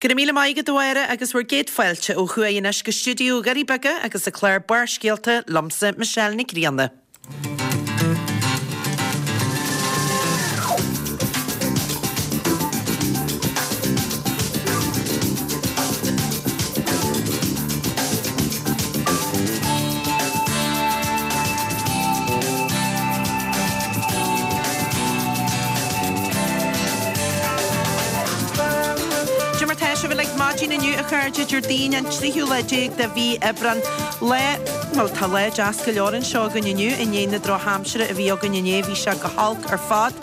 Go raibh míle maith agat a Mháire agus bhur gcéad fáilte ó thuaidh anois go stiúideo Dhoirí Beaga agus an clár Barrscéalta liomsa Michelle Nic Grianna. Cad é mar tá sibh uilig maidin inniu a chairde, Déardaoin an tríú lá déag de mhí Aibreán. Lá, bhuel tá lá deas go leor anseo againn inniu i ndiaidh na drochaimsire a bhí againn inné bhí sé go holc ar fad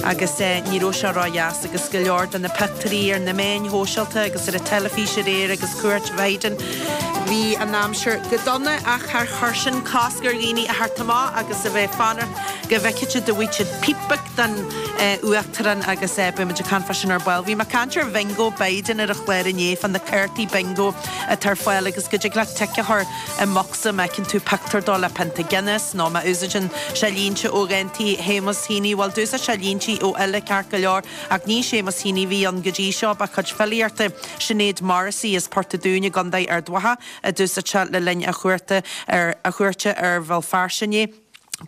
agus ní raibh sé ródheas agus go leor de na pictiúirí ar na meáin shóisialta agus ar an teilifís aréir agus cuairt Biden bhí an aimsir go dona ach char chuir sin cosc ar dhaoine a theacht amach agus a bheith ag fanacht go bhfeicfidh siad a bhfaigheadh siad píp beag den Uachtarán agus beidh muid ag caint fá sin ar ball. Bhí mé ag caint ar Bhingo Biden ar an chlár inné fá na cártaí bingo atá ar fáil agus go dtig leat tic a chur i mbocsa má fheiceann tú pictiúr dó le pionta Guinness nó má úsáideann sé línte ó dhántaí Shéamus Heaney. Bhuel, d'úsáid sé línte ó fhile ceart go leor ach ní Séamus Heaney a bhí ann go dtí seo, ba chuid filíochta Sinéad Morrissey as Port a' Dúin i gContae Ard Mhacha a d'úsáid sé le linn a chuarta ar a chuairte ar Bhéal Feirste inné.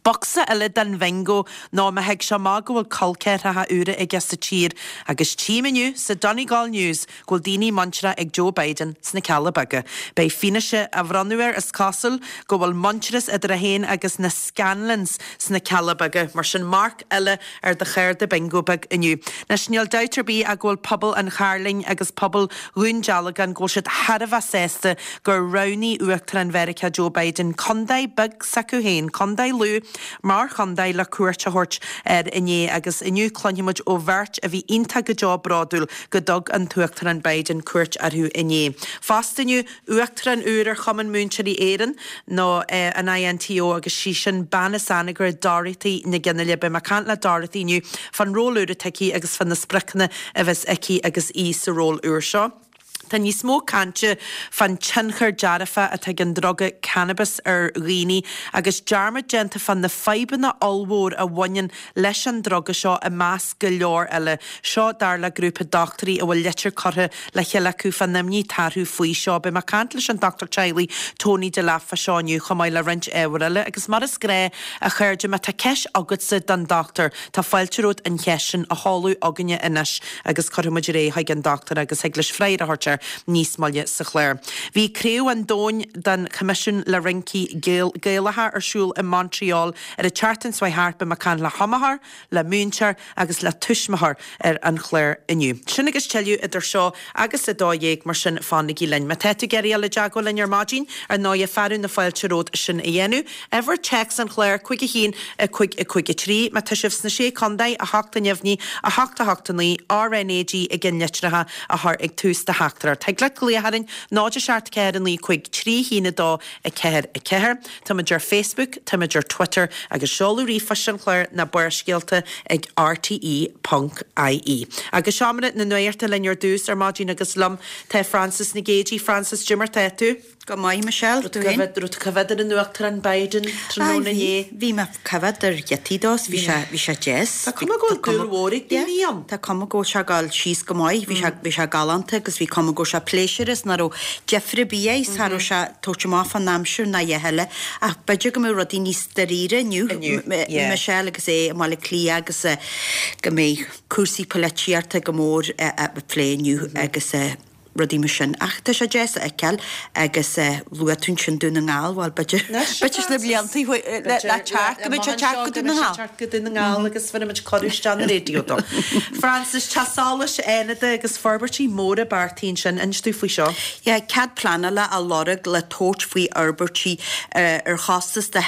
Bocsa eile den bhingo ná má thig sé amach go bhfuil col ceathracha úra aige sa tír agus tchím inniu sa Donegal News go bhfuil daoine muinteartha ag Joe Biden sna Cealla Beaga. Beidh fianaise á bhronnadh air, is cosúil go bhfuil muintearas idir é féin agus na Scanlons sna Cealla Beaga. Mar sin marc eile ar do chárta bingo beag inniu. Anois níl dabht ar bith ach go bhfuil pobal an Chairlinn agus pobal Dhún Dealgan, go bhfuil siad thar a bheith sásta gur roghnaigh Uachtarán Mheiriceá Joe Biden contae beag s'acu féin, Contae Lú, mar chontae le cuairt a thabhairt air inné agus inniu cluinfidh muid ó bheirt a bhí iontach go deo bródúil go dtug an tUachtarán Biden cuairt orthu inné. Fosta inniu, Uachtarán úr ar Chumann Múinteoirí Éireann, nó an INTO, agus sí sin bean as Anagaire, Dorothy Nic Fhionnghaile. Beidh mé ag caint le Dorothy inniu fán ról úr atá aici agus fá na spriocanna a bheas aici agus í sa ról úr seo. Tá níos mó cainte fán tionchar dearfach atá ag an druga cannabis ar dhaoine agus dearmad déanta fá na fadhbanna ollmhór a bhaineann leis an druga seo i measc go leor eile. Seo dar le grúpa dochtúirí a bhfuil litir curtha le chéile acu fán imní atá orthu faoi seo. Beidh mé ag caint leis an dochtúir teaghlaigh Tony Delap fá seo inniu chomh maith le roinnt ábhar eile agus mar is gnáth a chairde má tá ceist agatsa don dochtúir tá fáilte romhat an cheist sin a sheoladh chugainne anois agus cuirfidh muid ar aghaidh chuig an dochtúir agus thig leis freagra a thabhairt air níos moille sa chlár. Bhí Craobh an Domhain den Choimisiún le Rincí Gaelacha ar siúl i Montreal Ar an tseachtain seo thart beidh mé ag caint le hiomaitheoir, le múinteoir agus le tuismitheoir ar an chlár inniu. Sin agus tuilleadh idir seo agus 12:00 mar sin fanaigí linn. Má tá tú ag iarraidh dul i dteagmháil linn ar maidin, ar ndóighe fearadh na fáilte romhat sin a dhéanamh. Uimhir téacs an chláir 5 1 5 5 3. Má tá sibh sna Sé Contae, 8 a neamhní, 8 8 9, RnaG i gceannlitreacha a chur ag tús do theachtaireacht. Thig leat glaoch orainn 0 7 4 9 5 3 1 2 4 4. Táimid ar Facebook, táimid ar Twitter agus seoladh ríomhphoist an chláir ná Barrscéalta ag rte ponc ie. Agus seomra na nuachta linn ar dtús ar maidin agus liom tá Frances Nic Géadaigh. Frances, cad é mar tá tú? Go maith, Michelle, tú féin? Raibh tú coimhéad ar an Uachtarán Biden tráthnóna inné? Bhí, bhí mé coimhéad ar ghiotaí dó, bhí sé, bhí sé deas. Tá cuma go bhfuil dúil mhór ag daoine ann. Tá cuma go bhfuil sé ag dul síos go maith, bhí sé, bhí sé galánta agus bhí cuma go raibh sé pléisiúrtha is nach raibh deifir ar bith air, cha raibh sé ag tabhairt amach fán aimsir ná a dhath eile ach b'fhéidir go mbeadh rudaí níos dáiríre inniu, Michelle agus é i mBaile Átha Cliath agus go mbeidh cúrsaí poilitíochta go mór á phlé inniu agus rudaí mar sin. Ach tá sé deas a fheiceáil agus luaigh tú ansin Dún na nGall, bhuel b'fhéidir, b'fhéidir sna blianta le teacht go mbeidh sé ag teacht go Dún na nGall. Teacht go Dún na nGall agus bhéarfaidh muid cuireadh isteach na raidió dó. Frances, Teach Solais Fhánada agus forbairtí móra beartaithe ansin, inis dúinn faoi seo. Yeah, cead pleanála á lorg le tabhairt faoi fhorbairtí ar chostas de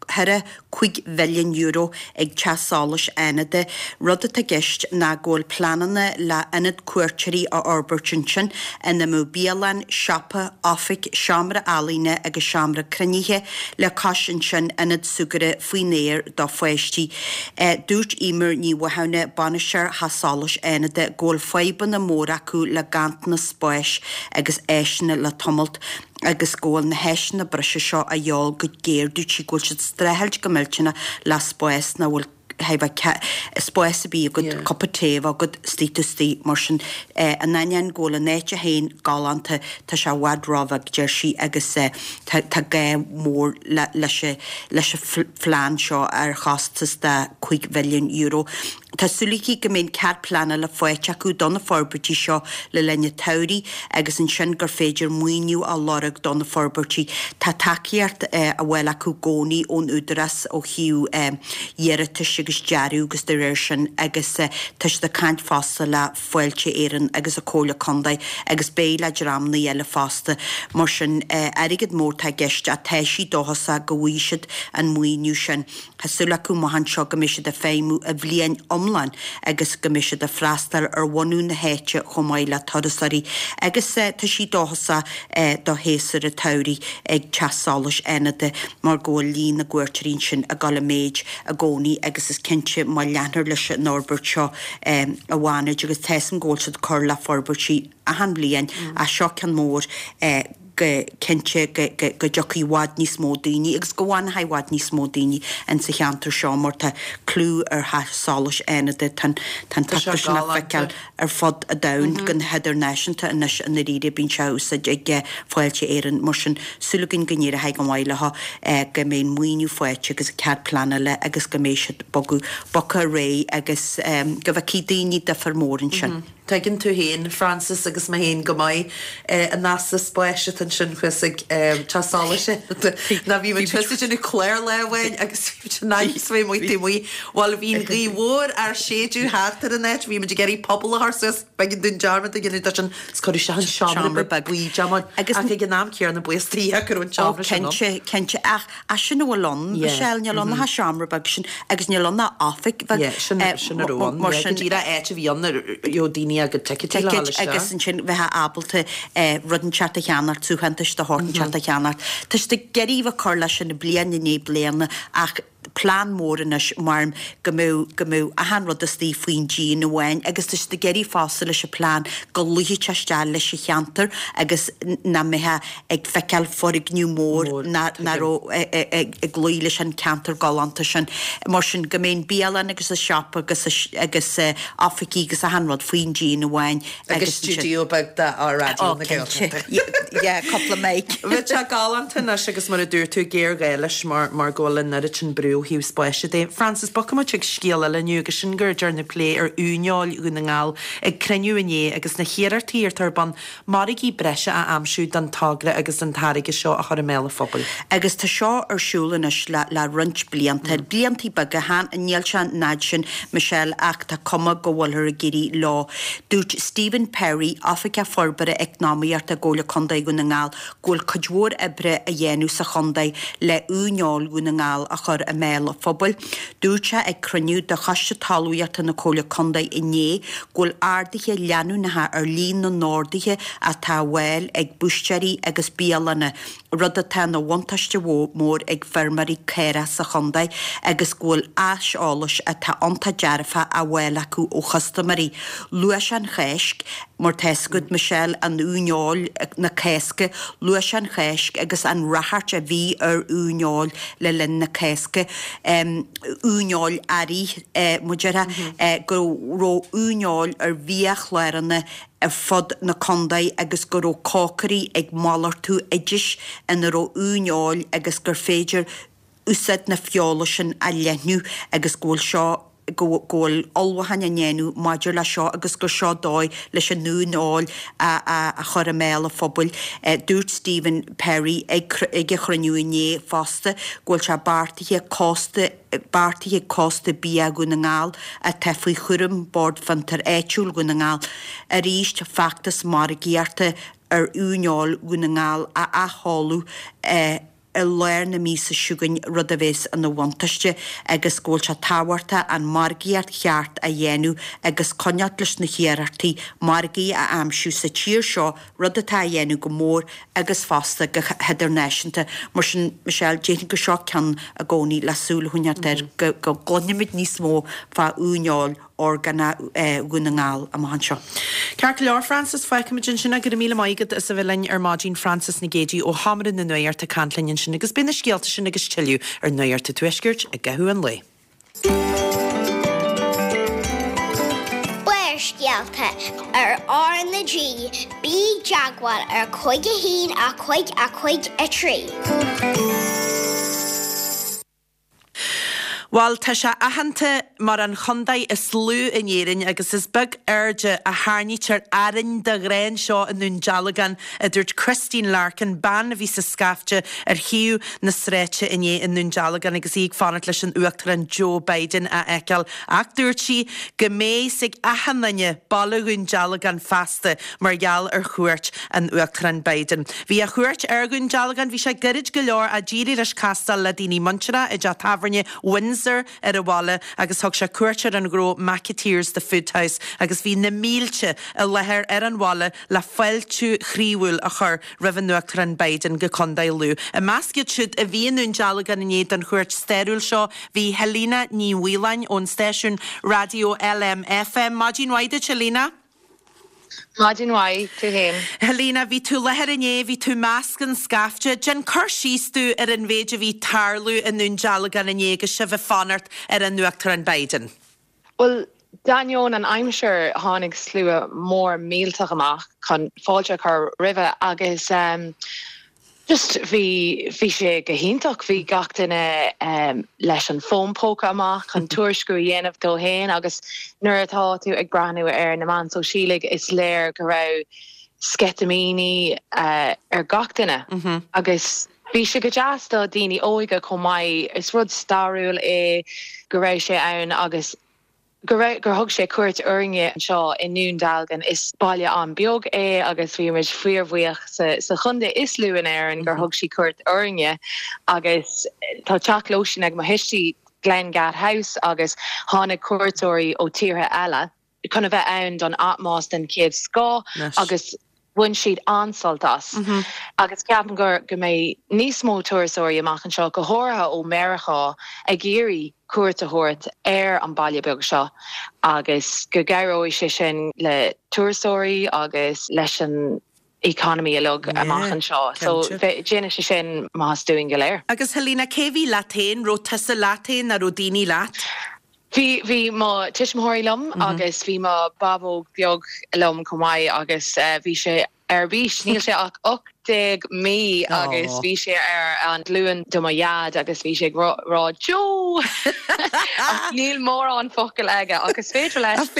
€4.5 mhilliún ag Teach Solais Fhánada. Rud atá i gceist ná go bhfuil pleananna le ionad cuairteoirí a fhorbairt ansin ina mbeadh bialann, siopa, oifig, seomra ealaíne agus seomra cruinnithe, le cois ansin ionad súgartha faoin aer do pháistí. Dúirt Eimear Ní Mhathúna, bainisteoir Theach Solais Fhánada, go bhfuil fadhbanna móra acu le ganntanas spáis agus áiseanna le tamalt agus go bhfuil na háiseanna breise seo a dhíobháil go géar. Dúirt sí go bhfuil siad ag streachailt go millteanach le spás nach bhfuil. Chaithfeá spás ar bith agat, cupa tae a bheith agat, istigh tú istigh, mar sin. In ainneoin go bhfuil an áit féin galánta, tá sé i bhfad róbheag, deir sí, agus tá tá gá mór leis leis an phlean seo ar chostas de €5 mhilliún. Tá súil aici go mbeidh an cead pleanála faighte acu do na forbairtí seo le linn an tsamhraidh agus ansin gur féidir maoiniú a lorg do na forbairtí. Tá tacaíocht á fháil acu i gcónaí ón Údarás ó thaobh iarratais agus dearadh agus de réir sin agus tá siad ag caint fosta le Fáilte Éireann agus an Comhairle Contae agus beidh le dreamanna eile fosta. Mar sin airgead mór atá i gceist ach tá sí dóchasach go bhfaighidh siad an maoiniú sin. Tá súil acu amach anseo go mbeidh siad ag feidhmiú an bhliain iomlán agus go mbeidh siad ag freastal ar bhunadh na háite chomh maith le turasóirí agus tá sí dóchasach do shéasúr an tsamhraidh ag Teach Solais Fhánada mar go bhfuil líon na gcuairteoirí ansin ag dul i méid i gcónaí agus is cinnte má leantar leis an fhorbairt seo i bhFánaid agus tá a fhios agam go bhfuil siad ag cur le forbairtí achan bhliain ach seo ceann mór go cinnte go dtiocfaidh i bhfad níos mó daoine agus go bhfanfaidh i bhfad níos mó daoine in sa cheantar seo mar tá clú ar Theach Solais Fhánada, tá an tá an pictiúr sin le feiceáil ar fud an domhain go hidirnáisiúnta anois i ndáiríre bíonn sé á úsáid ag Fáilte Éireann mar sin súil againn go n-éireoidh go maith leo go mbeidh an maoiniú faighte agus an cead pleanála agus go mbeidh siad bogadh bogtha ar aghaidh agus go bhfeicfidh daoine difear mór ansin. Tuigeann tú féin, Frances, agus mé féin go maith an easpa spáis atá ansin thuas ag Teach Solais Ná bhí muid thuas ag déanamh clár lá amháin agus bhí muid in ainm is a bheith amuigh taobh amuigh. Bhuel, bhí an ghaoth mhór ár séideadh thart ar an áit, bhí muid ag iarraidh puball a chur suas, b'éigean dúinn dearmad a dhéanamh de sin is cuireadh isteach an seomra beag buí deamán. Ach ag an am céanna buíochas do Dhia go raibh an seomra sin ann. Ó, cinnte, cinnte. Ach Ach sin a bhfuil ann, Michelle, níl ann ach an seomra beag sin agus níl ann ach oifig bheag. Yeah, sin sin a raibh ann. Mar sin díreach áit a bhí ann a raibh daoine a gcuid ticéidí le fáil isteach. Agus ansin bheifeá ábalta rud inteacht a cheannacht, suaitheantais de shórt inteacht a cheannacht. Tá siad ag iarraidh a bheith ag cur leis sin bliain i ndiaidh bliana ach plean mór anois mar go mbeadh go mbeadh achan rud istigh faoin díon amháin agus tá siad ag iarraidh fosta leis an plean go luífeadh sé isteach leis an cheantar agus nach mbeifeá ag feiceáil foirgneamh mór nach raibh ag luí leis an ceantar galánta sin. Mar sin, go mbeidh an bialann agus an siopa agus agus oifigí agus achan rud faoin díon amháin agus stiúideo beag de Raidió na Gaeltachta. Yeah, cúpla mic. Bheadh sé galánta anois agus mar a dúirt tú, géarghá leis mar mar go bhfuil an oiread sin brú ó thaobh spáis de. Frances, bogfaidh muid chuig scéal eile inniu agus sin gur dearnadh plé ar uaineoil Dhún na nGall ag cruinniú inné agus na hiarrachtaí atá ar bun margaí breise a aimsiú don togra agus an táirge seo a chur i mbéal an phobail. Agus tá seo ar siúl anois le le roinnt blianta, bliantaí beaga, chan, níl sé an fhad sin, Michelle, ach tá cuma go bhfuilthear ag éirí leo. Dúirt Stephen Perry, Oifigeach Forbartha Eacnamaíochta i gComhairle Contae Dhún na nGall, go bhfuil cuid mhór oibre á dhéanamh sa chontae le uaineoil Dhún na nGall a chur i mbéal an phobail. Dúirt sé ag cruinniú de Choiste Talmhaíochta na Comhairle Contae inné go bhfuil arduithe leanúnacha ar líon na n-orduithe atá á bhfáil ag búistéirí agus bialanna, rud atá ina bhuntáiste mór ag feirmeoirí caorach sa chontae agus go bhfuil aiseolas atá iontach dearfach á bhfáil acu ó chustaiméirí. Luaigh sé an Cháisc, mar tá fhios agat, Michelle, an uaineoil na Cásca, luaigh sé an Cháisc agus an ráchairt a bhí ar uaineoil le linn na Cásca, uaineoil earraigh, mar a déarfá, go raibh uaineoil ar bhiachláranna ar fud na contae agus go raibh cócairí ag malartú oidis ina raibh uaineoil agus gur féidir úsáid na feola sin a leathnú agus go bhfuil seo, go bhfuil ullmhúcháin á ndéanamh maidir leis seo agus gur seo dóigh leis an uaineoil a chur i mbéal an phobail. Dúirt Stephen Perry ag ag an chruinniú inné fosta go bhfuil sé beartaithe cósta beartaithe ag Cósta Bia Dhún na nGall atá faoi chúram Bord Fiontair Áitiúil Dhún na nGall arís feachtas margaíochta ar uaineoil Dhún na nGall a athsheoladh i lár na míosa seo chugainn, rud a bheas ina bhuntáiste agus go bhfuil sé tábhachtach an margaíocht cheart a dhéanamh agus coinneáilt leis na hiarrachtaí margaí a aimsiú sa tír seo, rud atá á dhéanamh go mór agus fosta go hidirnáisiúnta. Mar sin, Michelle, déarfainn gur seo ceann i gcónaí le súil a choinneáilt air go gcluinfimid níos mó fá uaineoil orgánach Dhún na nGall amach anseo. Ceart go leor, Frances, fágfaimid ansin é. Go raibh míle maith agat as a bheith linn ar maidin, Frances Nic Géadaigh ó Sheomra na Nuachta ag caint linn ansin agus beidh na scéalta sin agus tuilleadh ar Nuacht an Tuaiscirt i gcaitheamh an lae. Barrscéalta ar R na G, bí i dteagmháil ar 5 1 5 5 3. Bhuel, tá sé aitheanta mar an chontae is lú in Éirinn agus is beag airde a tharraingítear orainn de ghnáth anseo i nDún Dealgán, a dúirt Christine Larkin, bean a bhí sa scaifte ar thaobh na sráide inné i nDún Dealgán agus í ag fanacht leis an Uachtarán Joe Biden a fheiceáil. Ach dúirt sí go mbeidh 'fhios ag achan duine baile Dhún Dealgán feasta mar gheall ar chuairt an Uachtaráin Biden. Bhí a chuairt ar Dhún Dealgán, bhí sé gairid go leor ach d'éirigh leis castáil le daoine muinteartha i dteach tábhairne Windsor ar an bhaile agus thug sé cuairt ar an ghnó McAteer's The Food House agus bhí na mílte i láthair ar an bhaile le fáiltiú chroíúil a chur roimh an Uachtarán Biden go Contae Lú. I measc iad siúd a bhí i nDún Dealgán inné don chuairt stairiúil seo bhí Helena Ní Mhaoláin ón stáisiún raidió LMFM. Maidin mhaith duit Helena. Maidin mhaith, tú fhéin. Helena, bhí tú i láthair inné, bhí tú i measc an scaifte. Déan cur síos dúinn ar an mhéid a bhí ag tarlú i nDún Dealgán inné agus sibh ag fanacht ar an Uachtarán Biden. Bhuel, d'ainneoin an aimsir, tháinig slua mór millteach amach chun fáilte a chur roimhe agus Just bhí, bhí sé go hiontach, bhí gach duine leis an fón póca amach chun tuairisciú a dhéanamh dó fhéin agus nuair atá tú ag breathnú ar na meáin sóisialaigh is léir go raibh sceitimíní ar gach duine agus bhí sé go deas do daoine óige chomh maith, is rud stairiúil é go raibh sé ann agus. go raibh, gur thug sé cuairt orainne anseo i nDún Dealgan. Is baile an-bheag é agus bhí muid fíorbhuíoch sa, sa chontae is lú in Éirinn gur thug sí cuairt orainne agus tá teach lóistín ag mo thuistí, Glengad House, agus tháinig cuairteoirí ó tíortha eile chun a bheith ann don atmás den chéad scoth agus bhain siad an-sult as agus ceapaim go go mbeidh níos mó turasóirí amach anseo, go háirithe ó Meiriceá, ag iarraidh cuairt a thabhairt ar an baile beag seo agus go gcabhróidh sé sin le turasóirí agus leis an economy uilig amach anseo. So déanfaidh sé sin maitheas dúinn go léir. Agus Helena, cé bhí leat féin? Raibh tusa leat féin nó raibh daoine leat? Bhí, bhí mo tuismitheoirí liom agus bhí mo bhabóg beag liom chomh maith agus bhí sé ar bís, níl sé ach 18 mí agus bhí sé ar an ghlúin do mo dhaid agus bhí sé ag rá Joe! Ach níl mórán focal aige ach is féidir leis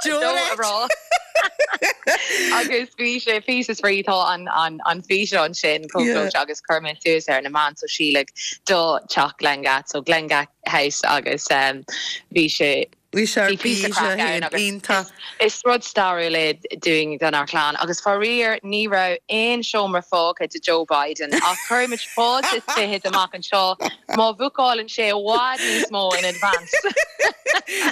Joe a rá. Agus bhí sé píosa spraoi, tá an an físeán sin chomh gleoite agus chuir mé suas ar na meáin sóisialaigh do teach Glengad, so Glengad House agus bhí sé Bhí sé ar bís é iontach. Is rud stairiúil é dúinn donár chlann agus faraor ní raibh aon seomra fágtha do Joe Biden ach cuirfidh muid fáilte is fichead amach anseo má bhúcálann sé i bhfad níos mó in advance.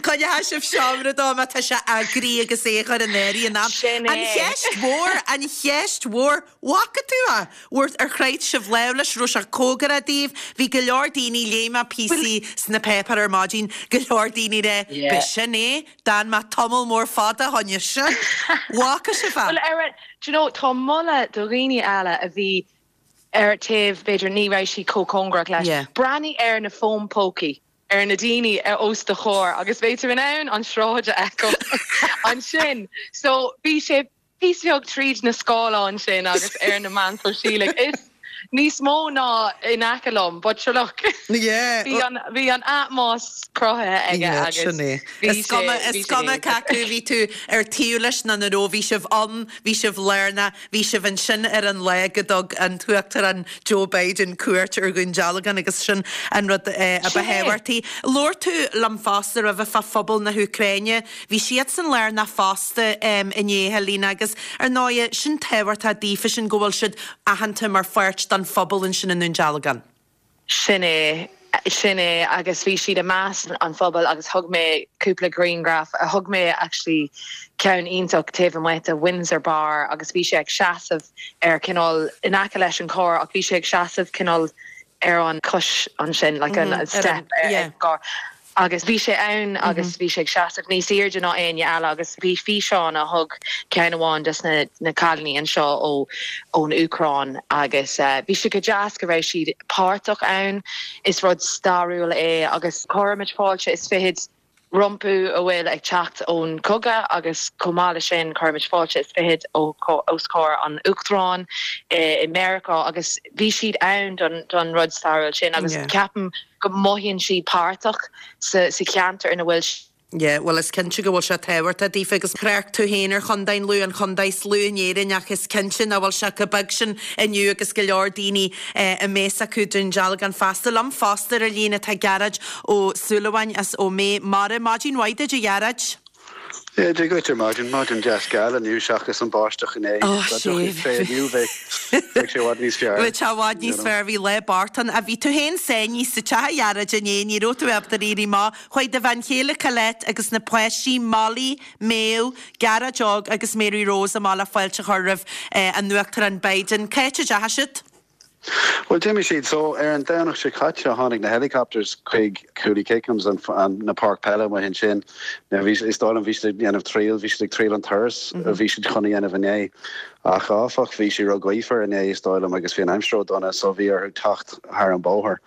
Coinneoidh sibh seomra dó má tá sé eagraithe agus é a chur in áirithe in am. Sin é. An cheist mhór, an cheist mhór, bhfaca tú é? Bhfuair, ar chroith sibh lámh leis, raibh sé cóngarach daoibh? Bhí go leor daoine, léigh mé píosaí sna páipéir ar maidin, go leor daoine ag rá, b'shin é, d'fhan mé tamall mór fada fá choinne sin. Bhfaca sibh é? Bhuel, ar, do you know, tá moladh do dhaoine eile a bhí ar taobh, b'fhéidir, ní raibh siad chomh cóngarach leis. Breathnaigh ar na fóin pócaí ar na daoine os do chomhair agus beidh tú in ann an sráid a fheiceáil ansin. So, bhí sé píosa beag tríd na scáileáin sin agus ar na meáin sóisialaigh. Is níos mó ná in aice liom, but sure look. Bhí an, bhí an atmás cruthaithe aige agus bhí sé, bhí sé Is cuma cé acu bhí tú ar taobh leis nó nach raibh, bhí sibh ann, bhí sibh lárnach, bhí sibh ansin ar an lá go dtug an tUachtarán Joe Biden cuairt ar Dhún Dealgan agus sin an rud a ba thábhachtaí. Labhair tú liom fosta roimhe fá phobal na hÚcráine. Bhí siadsan lárnach fosta inné, Helena, agus ar ndóighe, sin tábhachtach daofa sin go bhfuil siad aitheanta mar pháirt den phobal ansin i nDún Dealgan. Sin é, sin é agus bhí siad i measc an phobail agus thug mé cúpla grianghraf, thug mé actually ceann iontach taobh amuigh de Windsor Bar agus bhí sé ag seasamh ar cineál in aice leis an carr ach bhí sé ag seasamh cineál ar an cois ansin, like an step ar an gcarr. Agus bhí sé ann agus bhí sé ag seasamh níos airde ná éinne eile agus bhí físeán a thug ceann amháin des na na cailíní anseo ó ón Úcráin agus bhí sé go deas go raibh siad páirteach ann. Is rud stairiúil é agus cuirimid fáilte is fichead. rompu a bhfuil ag teacht ón chogadh agus chomh maith leis sin chuir muid fáilte is fichead os comhair an Uachtaráin i Meiriceá agus bhí siad ann don rud stairiúil sin agus ceapaim go mothaíonn siad páirteach sa cheantar ina bhfuil Yeah, bhuel is cinnte go bhfuil sé tábhachtach daofa agus thrácht tú féin ar Chontae an Lú, an chontae is lú in Éirinn ach is cinnte nach bhfuil sé chomh beag sin inniu agus go leor daoine i mbéas acu Dún Dealgan fosta. Liom fosta ar an líne tá Gearóid Ó Súilleabháin as Ó Méith Mara. Maidin mhaith duit a Ghearóid. Yeah, Dia dhuit ar maidin, maidin deas geal inniu seachas an báisteach inné. Ó, Dá dtiocfadh sé inniu bheadh bheadh sé i bhfad níos fearr. Bheadh sé i bhfad níos fearr, bhí lá bocht ann. Bhí tú féin sáinnithe sa teach a Ghearóid inné, ní raibh tú ábalta éirí amach. Chuaigh do bhean chéile Colette agus na páistí Molly, Méabh, Gearóid Óg agus Mary Rose amach le fáilte a chur roimh an Uachtarán Biden. Cá háit a dteachaigh siad? Bhuel, d'imigh siad. So, ar an Domhnach seo caite, tháinig na helicopters chuig Cooley Kickhams, an, na páirc peile amuigh ansin. Now, bhí, is dóigh liom, bhí siad ag déanamh triail, bhí siad ag triail an turas a bhí siad chun a dhéanamh inné. Ach, áfach, bhí sé ró-ghaofar inné, is dóigh liom, agus bhí an aimsir ró-dona, so bhí orthu teacht thar an bóthar.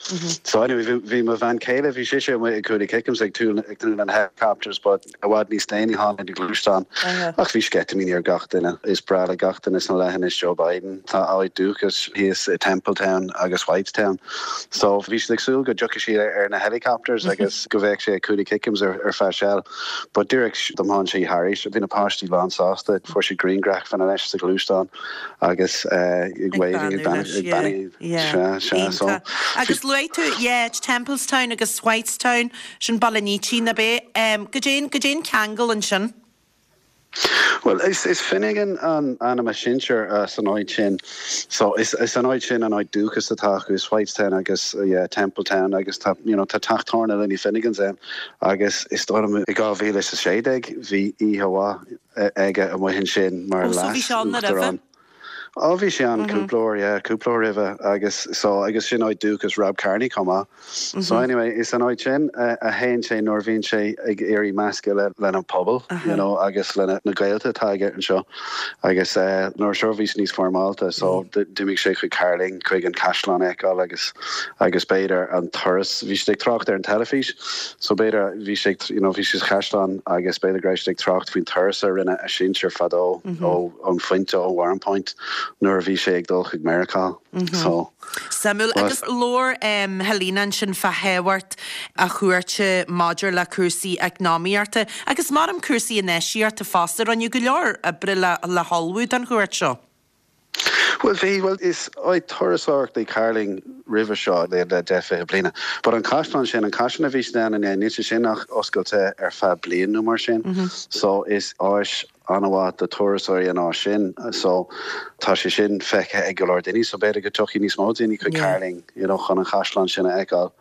So, anyway, bhí, bhí mo bhean chéile, bhí sise amuigh ag Cooley Kickhams ag tnúth, ag tnúth le na helicopters, but, I bhfad níos déanaí tháinig na gluaisteáin ach bhí sceitimíní ar gach duine. Is breá le gach duine sna leithinis Joe Biden. Tá a áit dúchais thíos i Templetown agus Whitestown. So bhí siad ag súil go dtiocfaidh siad ar na helicopters agus go bheadh sé ag Cooley Kickhams ar feadh seal. But díreach d'iomáin sé thairis. Bhí na páistí lán sásta. Fuair siad grianghrafanna leis sa ghluaisteán agus ag waving, ag beannú. Sea, sea. So. Agus luaigh tú, yeah, Templestown agus Whitestown. Sin Baile an Ítín, ab é? Goidé, goidé an ceangal ansin? Bhuel, is, is Finnegan an ainm a sinsear san áit sin. So, is, is an áit sin an áit dúchas atá acu, is Whitestown agus, yeah, Templetown agus tá, you know, tá teach tábhairne Lenny Finnegan's ann agus is dóigh liom i 2016 bhí oíche mhaith aige amuigh ansin mar Oh, so bhí sé ann roimhe? leas-uachtarán. Ó bhí sé ann cúpla uair, yeah, cúpla uair roimhe agus so, agus sin áit dúchas Rob Kearney chomh maith. So anyway, is an áit sin a théann sé nuair a bhíonn sé ag iarraidh meascadh le lena pobal, you know, agus lena na gaolta atá aige anseo. Agus nuair seo bhí sé níos foirmeálta, so d'imigh sé chuig Cairlinn, chuig an caisleán a fheiceáil agus agus b'fhéidir an turas, bhí siad ag trácht ar an teilifís, so b'fhéidir bhí sé ag, you know, bhí sé sa chaisleán agus b'fhéidir go raibh siad ag trácht faoin turas a rinne a sinsir fadó ó an phointe ó Warrenpoint nuair a bhí sé ag dul chuig Meiriceá. So. Suimiúil. Agus labhair Helena ansin fá thábhacht a chuairte maidir le cúrsaí eacnamaíochta agus measaim cúrsaí infheistíochta fosta. Rinneadh go leor oibre le hullmhú don chuairt seo. Bhuel bhí, bhuel is áit turasóireachta í Cairlinn roimhe seo le 10, 20 bliana. But an caisleán sin, an caisleán a bhí siad ann inné, níl sé sin ach oscailte ar feadh bliain nó mar sin. So is áis an-mhaith do turasóirí an áis sin. So tá sé sin feicthe ag go leor daoine. So b'fhéidir go dtiocfaidh níos mó daoine chuig Cairlinn, you know, chun an chaisleán sin a fheiceáil.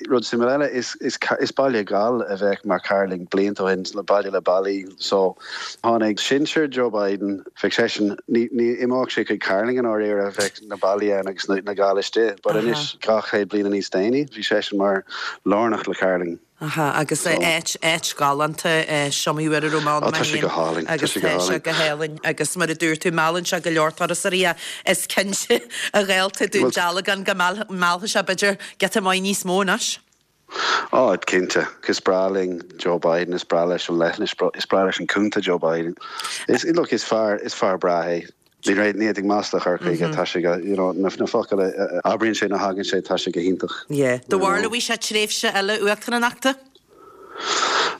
Rud suimiúil eile, is, is, is baile Gall a bheadh mar Cairlinn blianta ó shin, baile le ballaí. So tháinig sinsir Joe Biden, bheadh seisean, ní, ní imeodh sé chuig Cairlinn i ndáiríre, bheadh na ballaí ann agus na, na Gaill istigh. But anois, 200 bliana níos déanaí, bhí seisean mar lárnach le Cairlinn. Aha, agus áit, áit galánta, is iomaí uair a raibh mé ann mé féin. Tá sé go hálainn, tá sé go hálainn. Agus tá sé go hálainn agus mar a dúirt tú, meallann sé go leor turasóirí ach is cinnte a ghaolta Dún Dealgan go meallfaidh sé b'fhéidir giota maith níos mó anois. Á, cinnte. Is breá linn Joe Biden, is breá leis an leithinis, is breá leis an contae Joe Biden. Is, look, is fear, is fear breá é. Ní raibh, ní fhéadfainn masla a chur chuige, tá sé go, you know, na focail a abraíonn sé, nuair a thagann sé, tá sé go hiontach. Yeah. Do bharúil an bhfaighidh sé tréimhse eile uachtaránachta?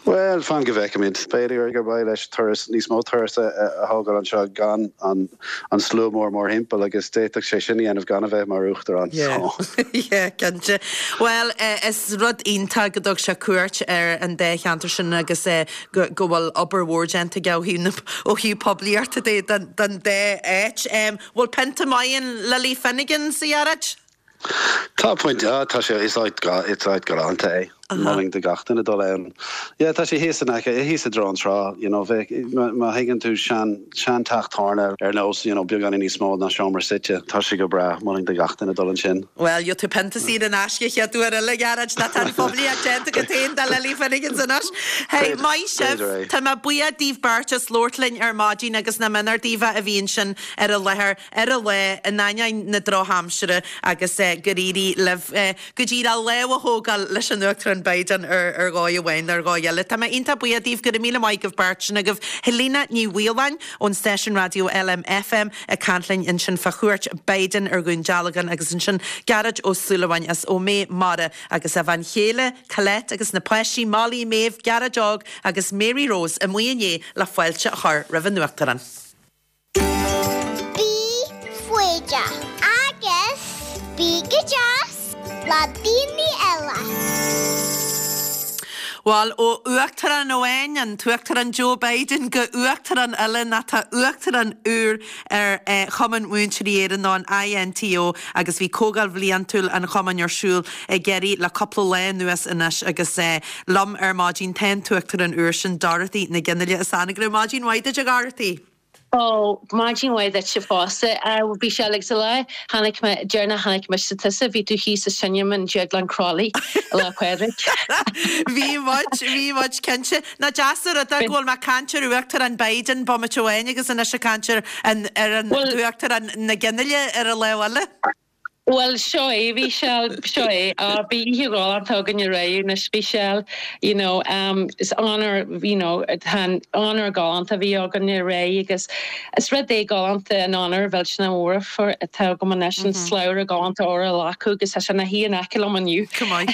Bhuel, fan go bhfeicfimid. B'fhéidir gur mhaith leis turas, níos mó turas a thógáil anseo gan an an slua mór mórthimpeall agus d'fhéadfadh sé sin a dhéanamh gan a bheith mar uachtarán. Yeah. Yeah, cinnte. Bhuel, is rud iontach go dtug sé cuairt ar an dá cheantar sin agus go go bhfuil obair mhór déanta aige ó thaobh na ó thaobh poiblíochta de don don dá áit. Bhfuil pionta maith in Lily Finnegan's, a Ghearóid? Tá point, ah, tá sé, is áit, is áit galánta é. Mholfainn do gach duine dul ann. Yeah, tá sé thíos in aice, thíos i dtreo an trá, you know, bheadh, má thuigeann tú sean, sean teach tábhairne ar nós, you know, beagáinín níos mó ná seomra suite, tá sé go breá, mholfainn do gach duine dul ansin. Bhuel, gheobhaidh tú pionta saor in aisce chéad uair eile, a Ghearóid, nó tá an phoiblíocht déanta agat féin do Lily Finnegan's anois. Hey, maith sibh, tá mé buíoch daoibh beirt as labhairt linn ar maidin agus nach méanar daoibh a bhí ansin ar an láthair ar an lá, in ainneoin na drochaimsire agus go n-éirí libh go díreach lámh a thógáil leis an Uachtarán. Biden ar ar dhóigh amháin nó ar dhóigh eile. Tá mé iontach buíoch daoibh, go raibh míle maith agaibh beirt sin agaibh. Helena Ní Mhaoláin ón stáisiún raidió LMFM ag caint linn ansin fá chuairt Biden ar Dhún Dealgan agus ansin Gearóid Ó Súilleabháin as Ó Méith Mara agus a bhean chéile Colette agus na páistí Molly, Maeve, Gearóid Óg agus Mary Rose amuigh inné le fáilte a chur roimh an Uachtarán. Bí foighdeach agus bí go deas le daoine eile. Bhuel, ó Uachtarán amháin, an tUachtarán Joe Biden, go Uachtarán eile, nó tá Uachtarán úr ar Chumann Múinteoirí Éireann nó an INTO agus bhí Comhdháil Bhliantúil an Chumainn ar siúl i gCiarraí le cúpla lá anuas anois agus liom ar maidin tá an tUachtarán úr sin, Dorothy Nic Fhionnghaile as Anagaire. Maidin mhaith duit a Dhorothy! Ó, maidin mhaith duitse fosta. Bhí sé like sa lá chonaic mé, deireanach chonaic mise tusa, bhí tú thíos sa cinema in Déaglán Crowley Lá Pádraig. Bhí muid, bhí muid cinnte. Nach deas an rud é go bhfuil mé ag caint ar Uachtarán Biden bomaite amháin agus anois ag caint ar an, ar an Uachtarán Nic Fhionnghaile ar an lámh eile. Bhuel, seo é, bhí sé, seo é. Á, bhí oíche ghalánta againn aréir anois, bhí sé, you know, is onóir, you know, tá an onóir galánta a bhí againn aréir agus is rud é galánta an onóir mhillteanach mhór atá agam anois, an slabhra galánta óir a ghlacadh agus tá sé ina shuí in aice liom inniu. Go maith.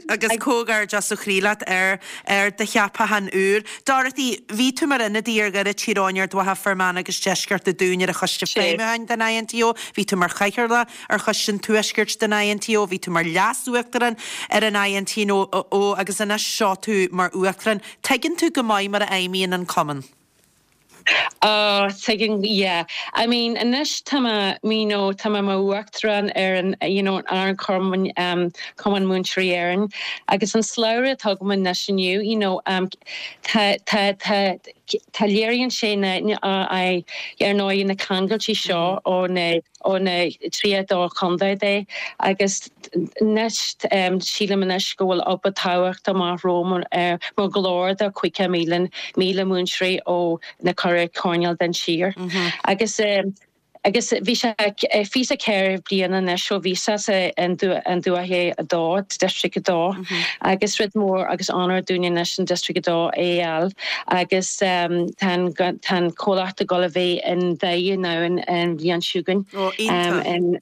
Agus comhghairdeas ó chroí leat ar, ar do cheapachán úr. Dorothy, bhí tú mar ionadaí ar Dhoire, Tír Eoghain, Ard Mhacha, Fear Manach agus Deisceart an Dúin ar an Choiste Feidhmiúcháin den INTO. Bhí tú mar Chathaoirleach ar Choiste an Tuaiscirt den INTO. Bhí tú mar Leas-Uachtarán ar an INTO agus anois seo tú mar Uachtarán. Tuigeann tú go maith mar a fheidhmíonn an Cumann. Oh, tuigeann, yeah. I mean, anois tá mé, you know, tá mé mar Uachtarán ar an, you know, ar an Cumann, um, Cumann Múinteoirí Éireann agus an slabhra atá agam anois inniu, you know, um, tá, tá, tá, tá léiríonn sé na, na, ar ndóigh na ceangailtí seo ó na, ó na 32 chontae de agus anois, sílim anois go bhfuil obair tábhachtach amach romham mar ghlór do 50,000 míle múinteoirí ó na ceithre choirnéal den tír. Agus agus bhí sé 24 bliana anois ó bhíos in Dúiche 2, District 2, agus rud mór agus onóir dúinn anois an District 2 a fháil agus tá an tá an comhlacht ag dul a bheith in Doire now an bhliain seo chugainn. Ó, iontach.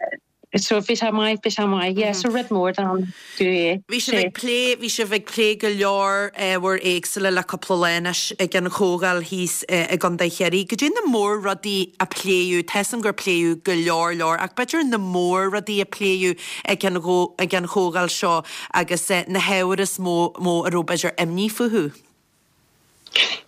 So bhí sé maith, bhí sé maith, yeah, so rud mór dom é. Bhí sibh ag plé, bhí sibh ag plé go leor ábhair éagsúla le cúpla lá anois ag an chomhdháil thíos i gContae Chiarraí. Goidé na mór-rudaí a pléadh, tá 'fhios a'm gur pléadh go leor leor ach b'fhéidir na mór-rudaí a pléadh ag an ag an chomhdháil seo agus na hábhair is mó mó a raibh b'fhéidir imní fúthu.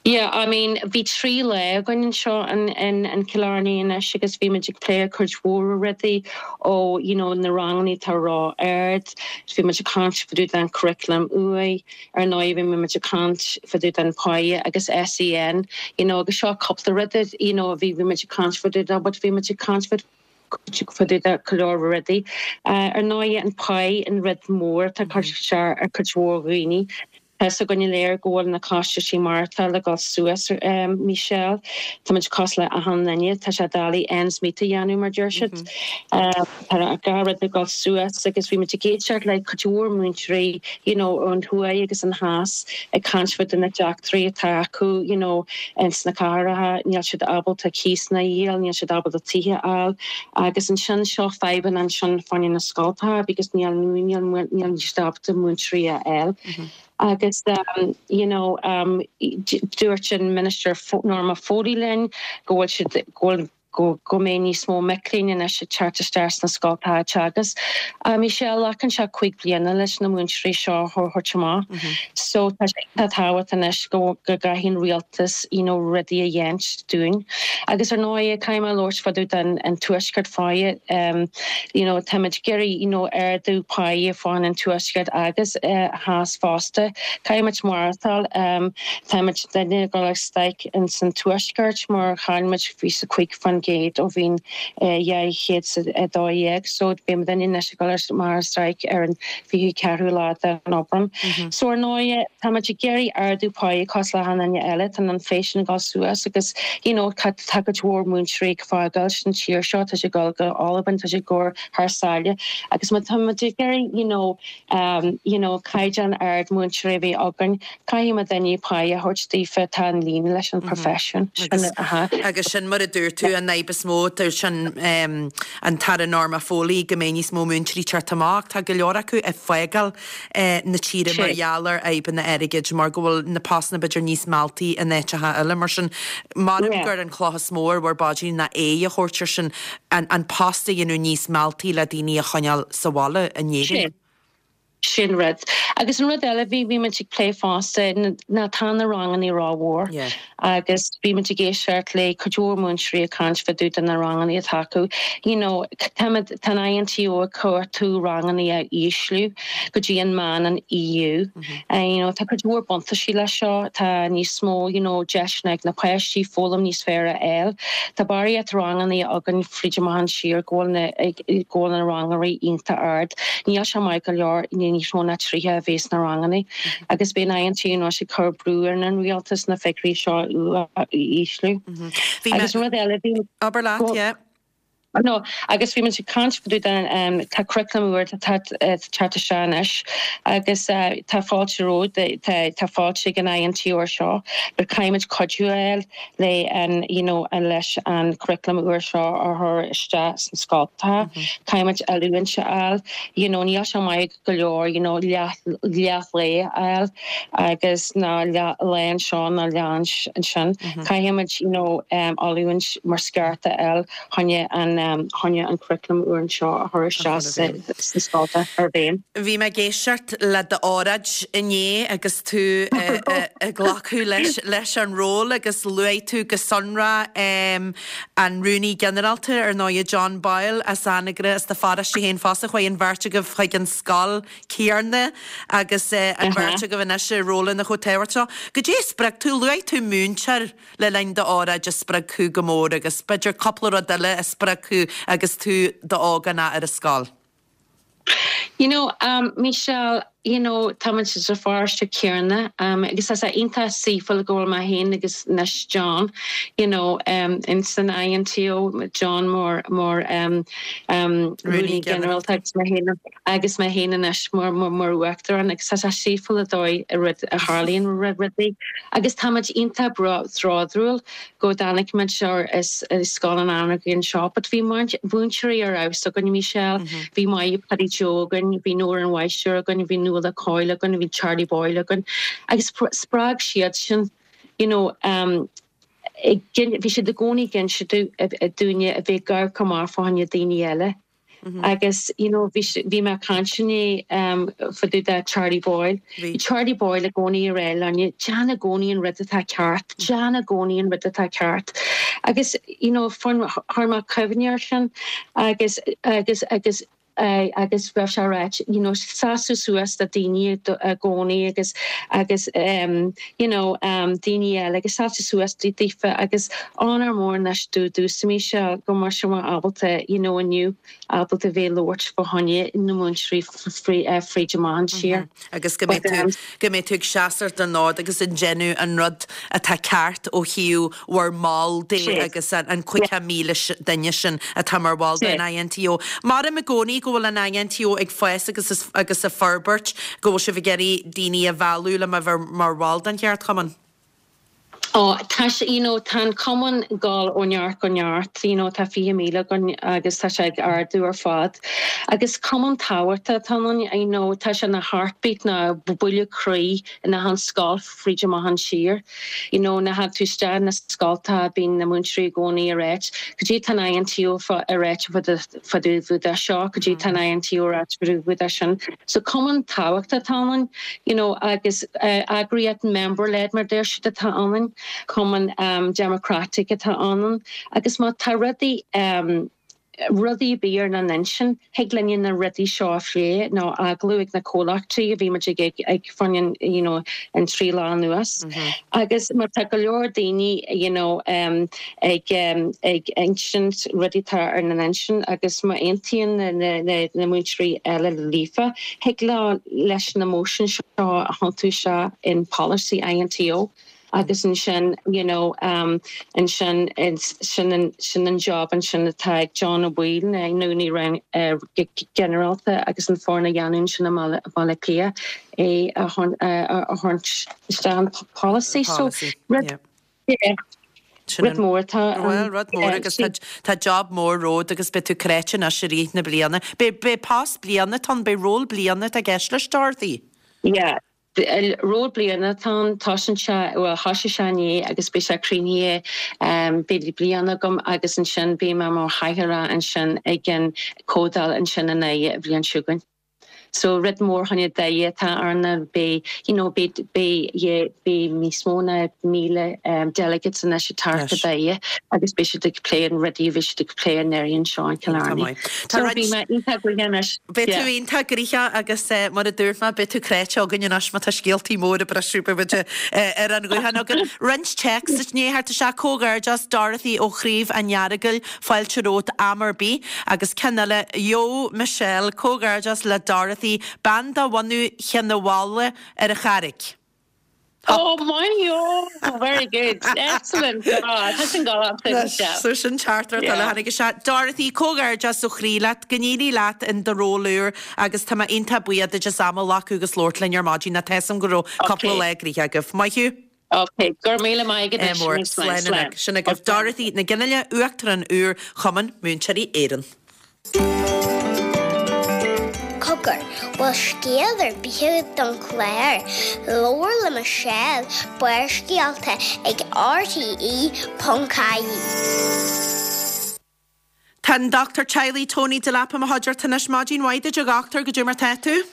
Yeah, I mean, bhí 3 lá againn anseo in, in, in Killarney anois agus bhí muid ag plé cuid mhór rudaí ó, you know, na ranganna atá ró-ard, bhí muid ag caint fá dtaobh den curriculum uaidh, ar ndóigh bhí muid ag caint fá dtaobh den pháighe agus SEN, you know, agus seo cúpla rud, you know, bhí, bhí muid ag caint fá dtaobh de, but bhí muid ag caint fá fá dtaobh de go leor rudaí. Ar ndóigh an pháigh an rud mór atá ag cur isteach ar cuid mhór dhaoine. Tá 'fhios againn uilig go bhfuil na costaisí maireachtála ag dul suas, Michelle. Tá muid cosúil le achan duine, tá sé doiligh ends meet a dhéanamh mar deir siad. Tá gach rud ag dul suas agus bhí muid ag éisteacht le cuid mhór múinteoirí you know ón thuaidh agus an theas ag caint fá na deacrachtaí atá acu you know ins na cathracha, níl siad ábalta cíosanna a dhíol, níl siad ábalta tithe a fháil agus ansin seo fadhbanna ansin fá choinne na scoltacha because níl níl níl siad ábalta múinteoirí a fháil. Agus you know dúirt an Minister Norma Foley linn go bhfuil siad go bhfuil go go mbeidh níos mó mic léinn anois ag teacht isteach sna scoltacha ag teagasc. Michelle, glacann sé 5 bliana leis na múinteoirí seo a thabhairt amach. So tá sé iontach tábhachtach anois go go gcaithfidh an rialtas you know rudaí a dhéint dúinn. Agus ar ndóigh caithfidh mé labhairt fá dtaobh den an tuaisceart fosta um you know táimid ag iarraidh you know ardú páighe fá choinne an tuaisceart agus eh theas fosta. Caithfimid maireachtáil um táimid duine ag dul ar stailc in san tuaisceart mar chaill muid 25%. 30% ó bhliain 2012 so beidh muidinne anois ag dul amach ar strike ar an 24ú lá den Aibreán. So ar ndóigh táimid ag iarraidh ardú páí cosúil le achan duine eile, tá an inflation ag dul suas agus you know tá cuid mhór múinteoirí ag fágáil an tír seo, tá siad ag dul go Albain, tá siad ag gabháil thar sáile agus má táimid ag iarraidh you know you know caighdeán ard múinteoirí a bheith againn, Caithfidh muidinne páí a thabhairt daofa atá in líne leis an profession. Agus sin mar a dúirt tú, an fhadhb is mó, dúirt an an tAire Norma Foley go mbeidh níos mó múinteoirí teacht amach. Tá go leor acu ag fágáil na tíre mar gheall ar fhadhbanna airgid, mar go bhfuil na postanna b'fhéidir níos mealltaí in áiteacha eile. Mar sin, maram gur an chloch is mó ar bhur bpaidrín ná aghaidh a thabhairt ar sin, an post a dhéanamh níos mealltaí le daoine a choinneáil sa bhaile in Éirinn. Sin rud. Agus an rud eile, bhí, bhí muid ag plé fosta, ná tá na rangannaí rómhór. Agus bhí muid ag éisteacht le cuid mhór múinteoirí ag caint fá dtaobh de na rangannaí atá acu. You know, táimid, tá an INTO ag cuartú rangannaí a ísliú go dtí an meán an EU. You know, tá cuid mhór buntáistí leis seo, tá níos mó, you know, deiseanna ag na páistí foghlaim níos fearr a fháil. Tá barraíocht rangannaí againn fríd amach an siar go bhfuil na, go bhfuil na rangannaí iontach ard. Níl sé maith go leor níos mó ná 30 a bheith sna rangannaí agus beidh an INTO anois ag cur brú ar an rialtas na figiúirí seo a ísliú. Agus an rud eile, bhí. Abair leat, yeah. No, agus bhí muid ag caint fá dtaobh den, tá curriculum úr atá ag teacht isteach anois agus tá fáilte rompu, tá fáilte ag an INTO air seo, but caithfidh muid cuidiú a fháil le an, you know, leis an curriculum úr seo a chur isteach sna scoltacha, caithfidh muid oiliúint a fháil, you know, níl sé maith go leor, you know, leath, leath lae a fháil agus ná leath lae anseo ná leath ansin, caithfidh muid, you know, oiliúint mar is ceart a fháil. choinne an choinne an curriculum úr anseo a chur isteach sna scolta ar bhféin. Bhí mé ag éisteacht le d'óráid inné agus tú ag glacadh leis leis an ról agus luaigh tú go sonrath an Rúnaí Ginearálta, ar ndóigh, John Boyle as Anagaire, as do pharóiste féin fosta. Chuaigh an bheirt agaibh chuig an scoil chéanna agus an bheirt agaibh anois i rólanna chomh tábhachtach seo. Goidé a spreag tú? Luaigh tú múinteoir. le linn d'óráid a spreag thú go mór agus b'fhéidir cúpla rud eile a spreag thú agus tú i d'ógánach ar an scoil. You know, Michelle, you know, tá muid sa pharóiste céanna agus tá sé iontach saoithiúil go bhfuil mé féin agus anois John, you know, in san INTO, John mar mar Rúnaí Ginearálta agus mé féin agus mé féin anois mar mar Uachtarán agus tá sé saoithiúil an dóigh a rud a tharlaíonn rudaí agus táimid iontach bródúil go dtáinig muid as Scoil an Anagaire anseo but bhí múinteoirí ar fheabhas againn Michelle, bhí Máire Paddy Joe againn, bhí Nóra an Mháistir againn, bhí Nuala Coyle againn, bhí Charlie Boyle againn agus spreag siad sin you know bhí siad i gcónaí ag inse dúinne a bheith ag amharc amach fá choinne daoine eile. Agus you know bhí bhí mé ag caint inné fá dtaobh de Charlie Boyle. Bhí Charlie Boyle i gcónaí ag rá linne, déan i gcónaí an rud atá ceart, déan i gcónaí an rud atá ceart. Agus you know chuir mé cuimhne air sin agus agus agus agus raibh sé ráite you know seasamh suas do daoine i gcónaí agus agus you know daoine eile agus seasamh suas daofa agus onóir mór anois domhsa Michelle go mbeidh sé ábalta you know inniu ábalta bheith ag labhairt fá choinne na múinteoirí fríd amach an tír. Agus go mbeidh tú go mbeidh tú ag seasamh don fhód agus ag déanamh an rud atá ceart ó thaobh bhur mball de agus an 50,000 duine sin atá mar bhall den INTO. Maram i gcónaí go bhfuil an INTO ag fás agus agus ag forbairt, go bhfuil sibh ag iarraidh daoine a mhealladh le bheith mar bhall den cheardchumann. Ó, tá sé, you know, tá an cumann ag dul ó neart go neart, you know, tá 20,000 againn agus tá sé ag ardú ar fad. Agus cumann tábhachtach atá ann, you know, tá sé ina heartbeat ná buille croí in achan scoil fríd amach an tír. You know, nuair a thagann tú isteach na scoltacha bíonn na múinteoirí i gcónaí ag ráit, cad é tá an INTO ag ráit fá dtaobh de seo, cad é tá an INTO ag ráit fá dtaobh de sin. So cumann tábhachtach atá ann, you know, agus eagraíocht member-led mar deir siad atá ann, cumann democratic atá ann agus má tá rudaí. Rudaí a bhí ar na n-intinn, thig linne na rudaí seo a phlé nó agallamh ag na comhlachtaí a bhí muid ag ag fá choinne you know an 3 lá anuas. Agus má tá go leor daoine you know ag ag insint rudaí atá ar na n-intinn agus má aontaíonn na na na na múinteoirí eile líofa, thig leo leis na motion seo a thiontú isteach in policy INTO. Agus ansin, you know, ansin, sin an, sin an job ansin atá ag John Ó Baoill, na Rúnaí Ginearálta agus an foireann a dhéanamh ansin i mBaile Átha Cliath é a thabhairt isteach an policy. So, rud, yeah, rud mór atá ann. Bhuel, rud mór agus tá, tá job mór romhat agus beidh tú cráite anois i rith na bliana. Beidh, beidh post bliana atá ann, beidh ról bliana atá i gceist leis, Dorothy. Yeah. Ról bliana atá ann, tosaíonn sé, bhuel thosaigh sé inné agus beidh sé críochnaithe, beidh bliain agam agus ansin beidh mé mar chathaoirleach ansin ag an comhdháil ansin i nDoire an bhliain seo chugainn. So rud mór fá choinne Doire atá ann ná beidh, you know, beidh, beidh, yeah, beidh níos mó ná 1,000 delegates anois ag teacht go Doire agus beidh siad ag plé an rudaí a bhí siad ag plé anuraidh anseo in Cill Airne. So bhí mé iontach gnoitheach anois. Beidh tú iontach gnoitheach agus mar a dúirt mé, beidh tú cráite againn anois má tá scéaltaí móra ag briseadh, beidh muid ar an ghuthán againn. Roinnt téacs i ndiaidh theacht isteach, Comhghairdeas Dorothy ó Chraobh an Earagail, fáilte romhat am ar bith. Agus ceann eile, Yo Michelle, comhghairdeas le Dorothy, bean de bhunadh Chionn a' Bhaile ar an Charraig. Oh maith thú! Very good. Excellent. God, tá sin galánta. So sin teachtaireacht eile a tháinig isteach. Dorothy, comhghairdeas ó chroí leat, go n-éirí leat in do ról úr agus tá mé iontach buíoch duit as am a ghlacadh agus labhairt linn ar maidin. Tá 'fhios a'm go raibh cúpla lá gnoitheach agaibh. Maith thú. Ok, go raibh míle maith agat. Mór. Slán anois. Sin agaibh Dorothy Nic Fhionnghaile, Uachtarán úr Chumann Múinteoirí Éireann. Cogar, bhfuil scéal ar bith agat don chlár? Labhair le Michelle, Barrscéalta ag RTE.ie. Tá an Dochtúir Teaghlaigh Tony Delap i mo chuideachta anois. Maidin mhaith duit a dhochtúir, goidé mar tá tú?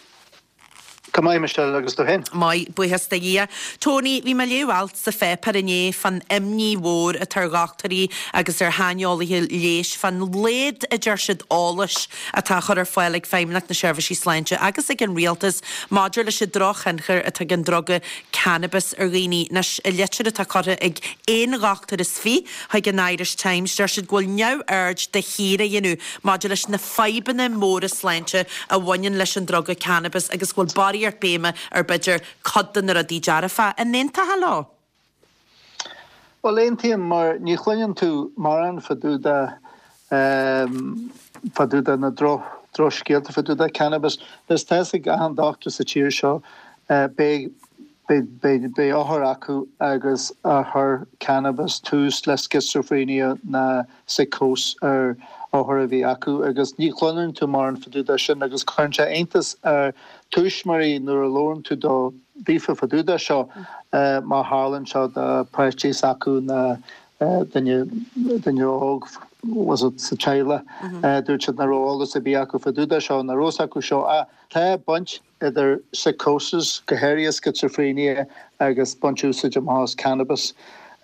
Go maith, Michelle, agus tú féin? Maith, buíochas do Dhia. Tony, bhí mé ag léamh alt sa pháipéar inné fán imní mhór atá ar dhochtúirí agus ar shaineolaithe leighis fán laghad, a deir siad, eolais atá á chur ar fáil ag Feidhmeannacht na Seirbhísí Sláinte agus ag an Rialtas maidir leis an drochthionchar atá ag an druga cannabis ar dhaoine. Anois, i litir atá curtha ag aon dhochtúir is fi chuig an Irish Times, deir siad go bhfuil neamhaird de shíor á dhéanamh maidir leis na fadhbanna móra sláinte a bhaineann leis an druga cannabis agus go bhfuil barraíocht béime ar b'fhéidir cuid de na rudaí dearfa. An aontófá leo? Bhuel, aontaím mar ní chluineann tú mórán fá dtaobh de fá dtaobh de na droch drochscéalta fá dtaobh de cannabis. Is tá 'fhios ag achan dochtúir sa tír seo beidh beidh beidh othar acu agus a chuir cannabis tús le schizophrenia ná psychosis ar othar a bhí acu agus ní chluineann tú mórán fá dtaobh de sin agus cuireann sé iontas ar tuismitheoirí nuair a labhrann tú do daofa fá dtaobh de seo má tharlaíonn seo do páistí s'acu ná duine duine óg was it sa teaghlach dúirt siad nach raibh eolas ar bith acu fá dtaobh de seo nach raibh 'fhios acu seo ach tá baint idir psychosis, go háirithe schizophrenia agus baint úsáid amach as cannabis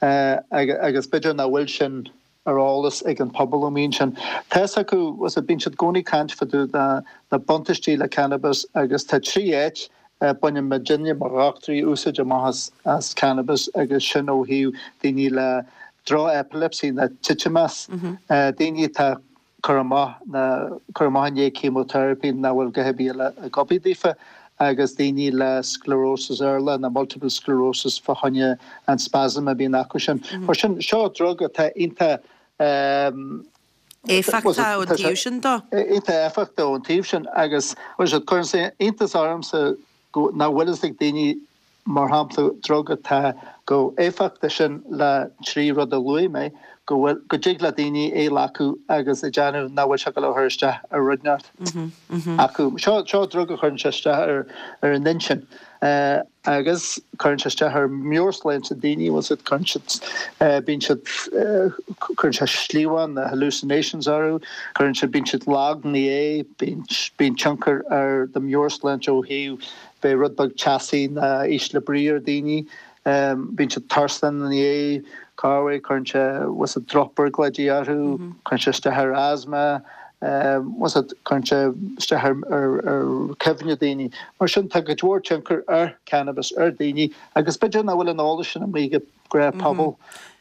agus b'fhéidir nach bhfuil sin ar eolas ag an pobal amuigh ansin. Tá 'fhios acu, was it, bíonn siad i gcónaí ag caint fá dtaobh de na buntáistí le cannabis agus tá 3 áit a baineann muidinne mar dhochtúirí úsáid amach as as cannabis agus sin ó thaobh daoine le droch-epilepsy ná titimeas, daoine atá cur amach ná cur amach i ndiaidh chemotherapy nach bhfuil a dhath ar bith eile ag obair daofa agus daoine le sclerosis earla ná multiple sclerosis fá choinne an spasm a bhíonn acu sin. Mar sin, seo drug atá iontach Éifeachtach ón taobh sin de. Iontach éifeachtach ón taobh sin agus cuireann sé iontas ormsa go nach bhfuil fhios ag daoine mar shampla, drug atá chomh éifeachtach sin le 3 rud a luaigh mé, go bhfuil, go dtig le daoine é a ghlacadh agus ag déanamh nach bhfuil sé ag dul a chur isteach ar rud inteacht acu. Seo, seo drug a chuireann sé isteach ar, ar an intinn agus cuireann sé isteach ar meabhairshláinte daoine, bhfuil siad, cuireann siad, bíonn siad, cuireann sé slíomhán, na hallucinations orthu, cuireann sé, bíonn siad lag ina dhiaidh, bíonn, bíonn tionchar ar do mheabhairshláinte ó thaobh Beidh rud beag teasaí ná ísle brí ar daoine. Bíonn siad tuirseach ina dhiaidh. Corruair, cuireann sé, bhfuil 's a'd, drochmhorgláidí orthu, cuireann sé isteach ar asthma, bhfuil 's a'd, cuireann sé isteach ar ar cuimhne daoine. Mar sin, tá cuid mhór tionchar ar cannabis ar daoine agus b'fhéidir nach bhfuil an eolas sin amuigh ag an ghnáthphobal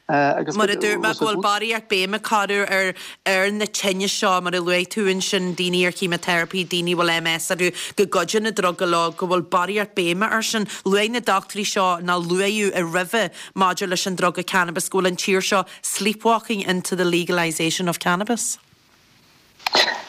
agus Mar a dúirt mé, go bhfuil barraíocht béime curtha ar ar na tinnis seo, mar a luaigh tú ansin, daoine ar chemotherapy, daoine a bhfuil MS orthu, go gcuideann an druga leo, go bhfuil barraíocht béime air sin. Luaigh na dochtúirí seo, nó luaíodh i roimhe maidir leis an druga cannabis, go bhfuil an tír seo sleepwalking into the legalisation of cannabis.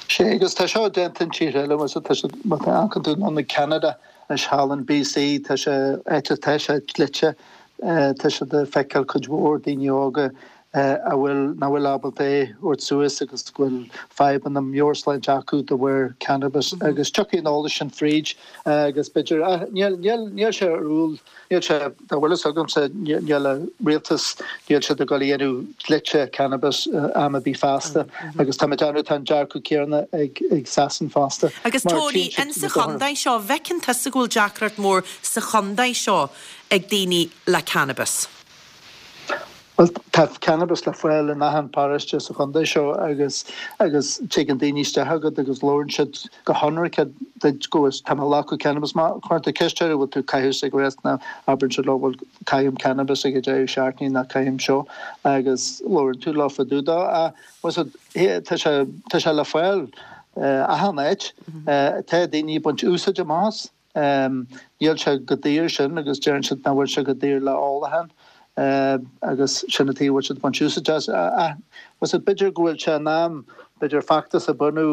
Sea, agus tá seo déanta in tíortha eile, bhfuil 's a'd, tá siad, má tá amharcann tú anonn ag Ceanada, anois thall in BC, tá sé, áit atá sé dlite, tá siad ag feiceáil cuid mhór daoine óga a bhfuil, nach bhfuil ábalta é a thabhairt suas agus go bhfuil fadhbanna meabhairshláinte acu de bharr cannabis agus tiocfaidh an eolas sin fríd agus b'fhéidir, níl, níl, níl sé ar iúl. Níl sé, dá bhfuil fhios agamsa, níl an rialtas, níl siad ag dul a dhéanamh dlite cannabis am ar bith feasta agus tá mé ag déanamh, tá an dearcadh céanna ag Sasain fosta. Agus Tony, in sa chontae seo, bhfeiceann tusa go bhfuil deacracht mór sa chontae seo ag daoine le cannabis? Bhuel, tá cannabis le fáil in achan paróiste sa chontae seo agus agus tigeann daoine isteach agat agus labhrann siad go hionraice duit go bhfuil tá mé ag glacadh cannabis. Má chuireann tú ceist orthu bhfuil tú ag caitheamh cigarettes nó abrann siad leo bhuel caithim cannabis ag an deireadh seachtaine nó caithim seo agus labhrann tú leo fá dtaobh dó. Ach bhfuil 's a'd tá sé tá sé le fáil achan áit. Tá daoine ag baint úsáid amach as. Níl sé chomh daor sin agus deireann siad nach bhfuil sé chomh daor le ólachán agus sin an tuige a bhfuil siad ag baint úsáid as. Ach bhfuil 's a'd b'fhéidir go bhfuil sé in am b'fhéidir feachtas a bhunú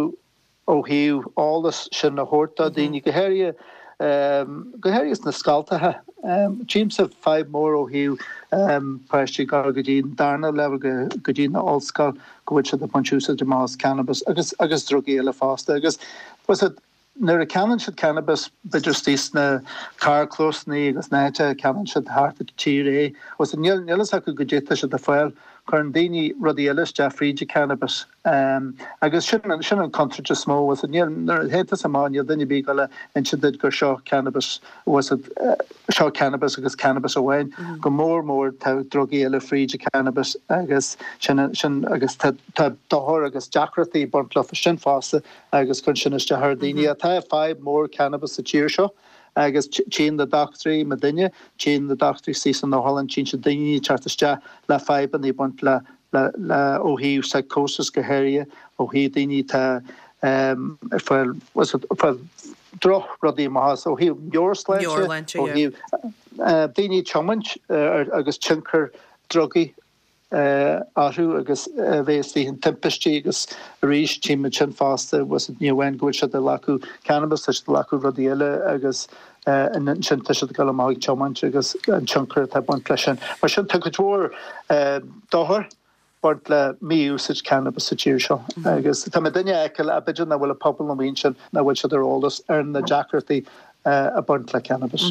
ó thaobh eolas sin a thabhairt do daoine, go háirithe go háirithe sna scoltacha. Tchímse fadhb mór ó thaobh páistí ag dul go dtí an darna leibhéal go dtí an ollscoil go bhfuil siad ag baint úsáid amach as cannabis agus agus drugaí eile fosta agus bhfuil 's a'd Nuair a ceannaíonn siad cannabis, b'fhéidir istigh sna carrchlósanna agus na háite a ceannaíonn siad thart an tír é, bhfuil 's a'd, níl níl fhios acu goidé tá siad ag fáil. Cuireann daoine rudaí eile isteach fríd an cannabis. Agus sin an sin an contúirt is mó, bhfuil 's a'd, níl, nuair a théann tusa amach níl duine ar bith ag dul a inse duit gur seo cannabis, bhfuil 's a'd, seo cannabis agus cannabis amháin. Go mór mór tá drugaí eile fríd an cannabis agus sin sin agus tá tá dochar agus deacrachtaí ag baint leofa sin fosta. agus cuireann sin isteach ar dhaoine. Tá fadhb mór cannabis sa tír seo agus tchíonn na dochtúirí, muidinne, tchíonn na dochtúirí istigh san otharlann, tchíonn siad daoine ag teacht isteach le fadhbanna ag baint le, le, le, ó thaobh psychosis go háirithe, ó thaobh daoine atá ag fáil, ag fáil droch rudaí amach as, ó thaobh meabhairshláinte, ó thaobh daoine ag tiomáint agus tionchar drugaí. orthu agus a bheith istigh in timpistí agus arís tchímid sin fosta ní amháin go bhfuil siad ag glacadh cannabis tá siad ag glacadh rudaí eile agus ansin tá siad ag dul amach ag tiomáint agus an tionchar atá ag baint leis sin. Mar sin tá cuid mhór dochar ag baint le mí-úsáid cannabis sa tír seo agus tá muidinne a fheiceáil ach b'fhéidir nach bhfuil an pobal amuigh ansin nach bhfuil siad ar eolas ar na deacrachtaí ag baint le cannabis.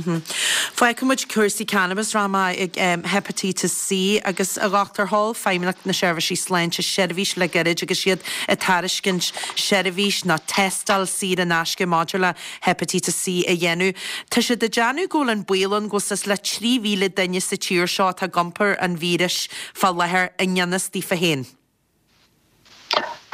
Fágfaidh muid cúrsaí cannabis, rachaidh mé ag Hepatitis C agus a Dhochtúir Sheol Feidhmeannacht na Seirbhísí Sláinte seirbhís le gairid agus iad ag tairiscint seirbhís nó tástáil saor in aisce maidir le Hepatitis C a dhéanamh. Tá siad ag déanamh go bhfuil an baol ann go bhfuil suas le 3,000 duine sa tír seo atá ag iompar an víris fá láthair i ngan fhios daofa féin.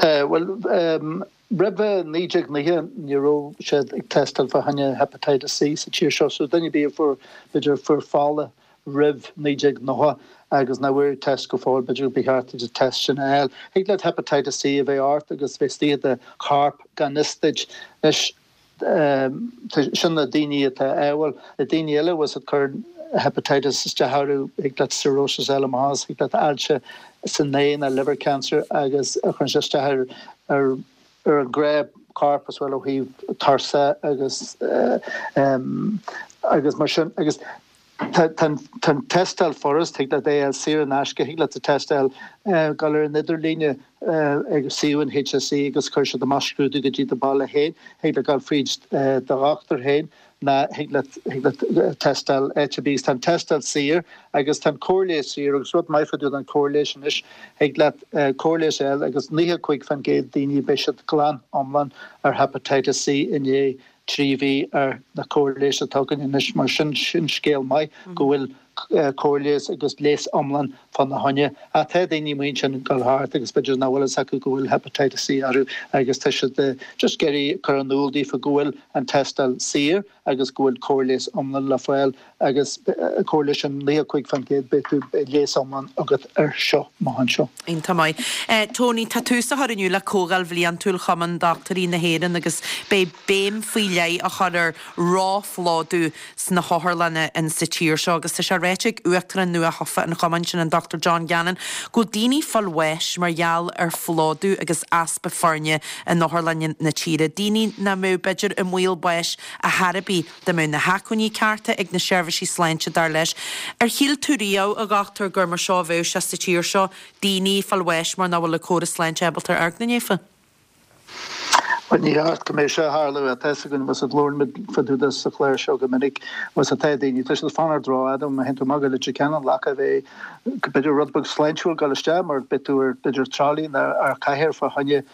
Tá, bhuel, roimhe 1990 ní raibh siad ag tástáil fá choinne Hepatitis C sa tír seo, so duine ar bith a fuair, b'fhéidir, a fuair fola roimh 1990 agus nach bhfuair test go fóill, b'fhéidir ba cheart duit an test sin a fháil. Thig leat Hepatitis C a bheith ort agus bheith istigh i do chorp gan fhios duit. Anois, Sin na daoine atá ádhúil. Na daoine eile, bhfuil 's a'd, cuireann hepatitis isteach orthu, thig leat cirrhosis a fháil amach as, thig leat ailse san ae nó liver cancer agus cuireann sé isteach ar ar ar an gcrá corp as well ó thaobh tuirse agus agus mar sin agus Tá an tástáil furast, thig leat é a fháil saor in aisce, thig leat an tástáil dul ar an idirlíne ag suíomh an HSE agus cuirfidh siad amach scrúdú go dtí do bhaile féin, thig leat dul fríd do dhochtúir féin ná thig leat thig leat tástáil áit ar bith. Tá an tástáil saor agus tá an cóir leighis saor agus rud maith fá dtaobh den cóir leighis anois, thig leat cóir leighis a fháil agus 95% daoine beidh siad glan iomlán ar Hepatitis C i ndiaidh 3 mhí ar na cóir leighis atá againn anois. Mar sin, sin scéal maith go bhfuil. cóir leighis agus leigheas iomlán fána choinne. Ach tá daoine amuigh ansin ag dul thart agus b'fhéidir nach bhfuil fhios acu go bhfuil Hepatitis C orthu agus tá siad just ag iarraidh cur in iúl daofa go bhfuil an tástáil saor agus go bhfuil cóir leighis iomlán le fáil agus cóir leighis sin 95% beidh tú beidh leigheas iomlán agat air seo amach anseo. Iontach maith. Tony, tá tús á chur inniu le Comhdháil Bhliantúil Chumann Dochtúirí na hÉireann agus beidh béim faoi leith á chur ar róphlódú sna hotharlanna in sa tír seo agus tá sé ráite ag Uachtarán nua-thofa an chumainn sin, an Dr John Gannon, go bhfuil daoine ag fáil bháis mar gheall ar phlódú agus easpa foirne in otharlanna na tíre, daoine nach mbeadh b'fhéidir i mbaol báis ar chor ar bith dá mbeadh na hacmhainní cearta ag na seirbhísí sláinte, dar leis. Ar shíl tú riamh, a dhochtúir, gur mar seo a bheadh sé sa tír seo, daoine ag fáil bháis mar nach bhfuil an córas sláinte ábalta amharc ina ndiaidh? Bhuel, ní cheart go mbeadh sé ag tarlú. Tá fhios againn, bhfuil fhios agat, labhrann muid fá dtaobh de sa chlár seo go minic, bhfuil fhios agat, tá daoine, tá siad ag fanacht rófhada, má théann tú amach go Leitir Ceanainn, in áit a bheith, b'fhéidir rud beag sláintiúil dul isteach mar beidh tú ar, b'fhéidir trolley nó ar chathaoir fá choinne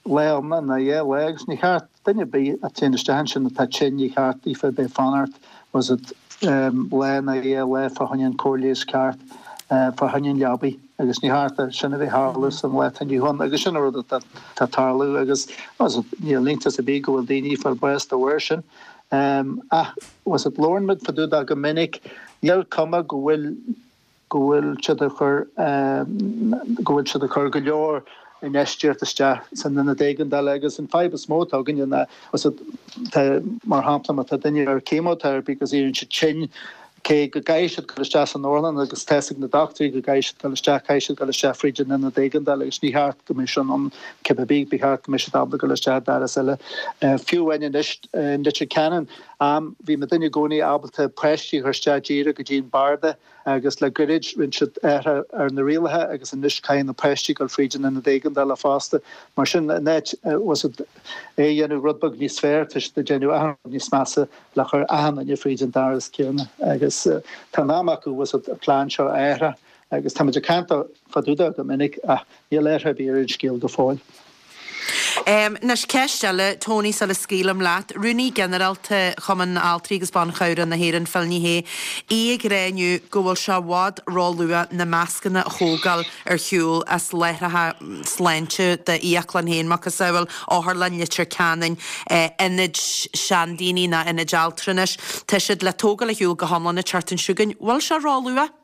lá iomlán nó dhá lá agus ní cheart, Duine ar bith a théann isteach ansin atá tinn, ní cheart daofa bheith ag fanacht, bhfuil fhios agat, lá nó dhá lá fá choinne an cóir leighis ceart, fá choinne an leabaidh agus ní cheart é sin a bheith ag tarlú san lá atá inniu ann agus sin an rud atá ag tarlú agus, bhfuil fhios agat, níl iontas ar bith go bhfuil daoine ag fáil bás de bharr sin. Ach, bhfuil fhios agat, labhrann muid fá dtaobh de go minic, níl cuma go bhfuil, go bhfuil siad ag cur go bhfuil siad ag cur go leor infheistíocht isteach san ionad éigeandála agus an fadhb is mó atá againne ná tá mar shampla má tá duine ar chemotherapy agus éiríonn siad tinn cé go gcaithfidh siad dul isteach san otharlann agus tá fhios ag na dochtúirí go gcaithfidh siad dul isteach caithfidh siad dul isteach fríd an ionad éigeandála agus ní cheart go mbeadh sin ann cibé bith ba cheart go mbeadh siad ábalta dul isteach i dturas eile fiú amháin anois in Leitir Ceanainn am bhí muidinne i gcónaí ábalta páistí a chur isteach díreach go dtí an barda agus le goirid rinne siad athrú ar na rialacha agus anois caithfidh na páistí dul fríd an ionad éigeandála fosta. Mar sin, in áit, bhfuil fhios agat, é a dhéanamh rud beag níos fearr, tá siad ag déanamh achan rud níos measa le chur achan duine fríd an doras céanna. Agus tá an am acu, bhfuil fhios agat, an plean seo a athrú agus táimid ag caint fá dtaobh de go minic ach níl athrú ar bith ar an scéal go fóill. Anois, ceist eile, Tony, sula scaoilim leat. Rúnaí Ginearálta Chumann Altraí agus Ban Chabhrach na hÉireann, Phil Ní Sheaghdha, í ag rá inniu go bhfuil sé i bhfad róluath na mascanna a thógáil ar shiúl as láithreacha sláinte d'fhiaclann féin, macasamhail Otharlann Leitir Ceanainn, ionaid seandaoine ná ionaid altranais. Tá siad le tógáil ar shiúl go hiomlán an tseachtain seo chugainn. Bhfuil sé róluath?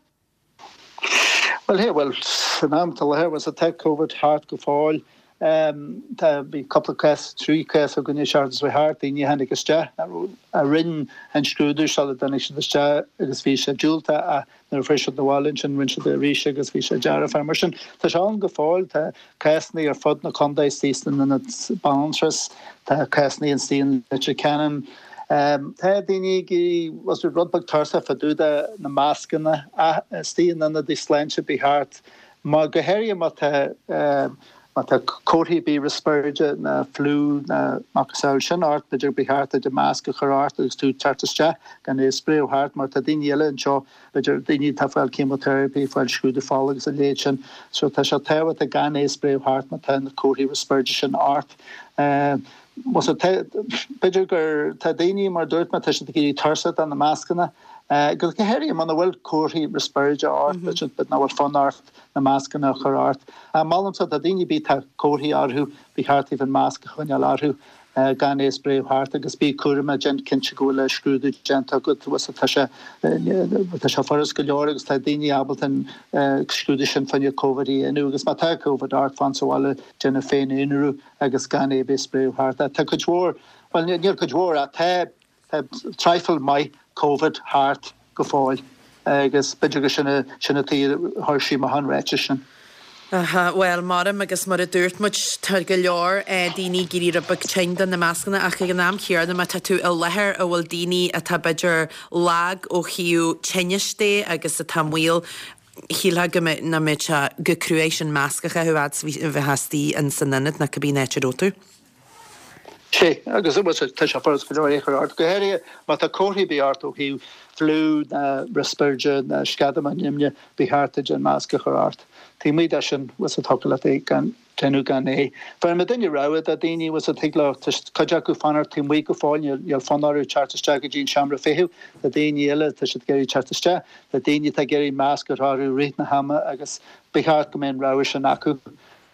Bhuel, hey, bhuel, san am atá i láthair, bhfuil fhios agat, tá Covid thart go fóill. Tá, bhí cúpla cás, 3 cás againn an tseachtain seo thart, daoine a tháinig isteach, a rinne an scrúdú sula dtáinig siad isteach agus bhí sé diúltach ach nuair a fuair siad na bhaile ansin rinne siad é arís agus bhí sé dearfach. Mar sin, tá sé ann go fóill, tá cásanna ar fud na contae istigh san ionad banaltrais, tá cásanna istigh in Leitir Ceanainn. Tá daoine ag éirí rud beag tuirseach fá dtaobh de na mascanna istigh in ionadaí sláinte ba cheart, má, go háirithe má tá má tá comharthaí ar bith riospráide ná fliú ná macasamhail sin ort, b'fhéidir ba cheart duit an masc a chur ort agus tú ag teacht isteach gan é a spréadh thart mar tá daoine eile anseo B'fhéidir daoine atá ag fáil chemotherapy, ag fáil scrúdú fola agus a leithéid sin. So tá sé tábhachtach gan é a spréadh thart má tá na comharthaí riospráide sin ort. Bhfuil fhios agat, b'fhéidir gur, tá daoine, mar a dúirt mé, tá siad ag éirí tuirseach de na mascanna. Go háirithe muna bhfuil comharthaí riospráide ort, b'fhéidir nach bhfuil fonn ort na mascanna a chur ort. Molaimse, tá daoine ar bith atá comharthaí orthu, ba cheart daoibh an masc a choinneáil orthu. gan é a spréadh thart agus bí cúramach, déan cinnte go bhfuil an scrúdú déanta agat, bhfuil fhios agat, tá sé, tá sé furast go leor agus tá daoine ábalta an scrúdú sin fá choinne Covid a dhéanamh agus má tá Covid ort, fan sa bhaile, déan féin-aonarú agus gan é a bheith ag spréadh thart. Tá cuid mhór, bhuel níl cuid mhór ach tá, Tá traidhfil maith Covid thart go fóill agus b'fhéidir gur sin sin an tuige a chuir sí amach an ráiteas sin. Aha, bhuel, maram agus mar a dúirt muid, tá go leor daoine ag éirí rud beag tinn de na mascanna ach ag an am chéanna má tá tú i láthair a bhfuil daoine atá b'fhéidir lag ó thaobh tinnis de agus atá i mbaol, shílfeá go mbeadh, nach mbeadh sé go cruaidh sin masc a chaitheamh fhad is a bheifeá istigh in san ionad nó cibé an áit a raibh tú. Sea, agus tá sé furast go leor é a chur ort, go háirithe má tá comharthaí ar bith ort ó thaobh fliú ná riospráide ná sceadamán nimhne, ba cheart duit an masc a chur ort. Taobh amuigh de sin, bhfuil fhios agat, thiocfadh leat é gan. déanamh gan é. Bheireann muid duine rogha do daoine bhfuil a fhios ag leo, tá cuid acu fanacht taobh amuigh go fóill, níl fonn orthu teacht isteach go dtí an seomra feithimh, tá daoine eile, tá siad ag iarraidh teacht isteach, tá daoine atá ag iarraidh masc a chur orthu i rith na hama agus ba cheart go mbeadh an rogha sin acu.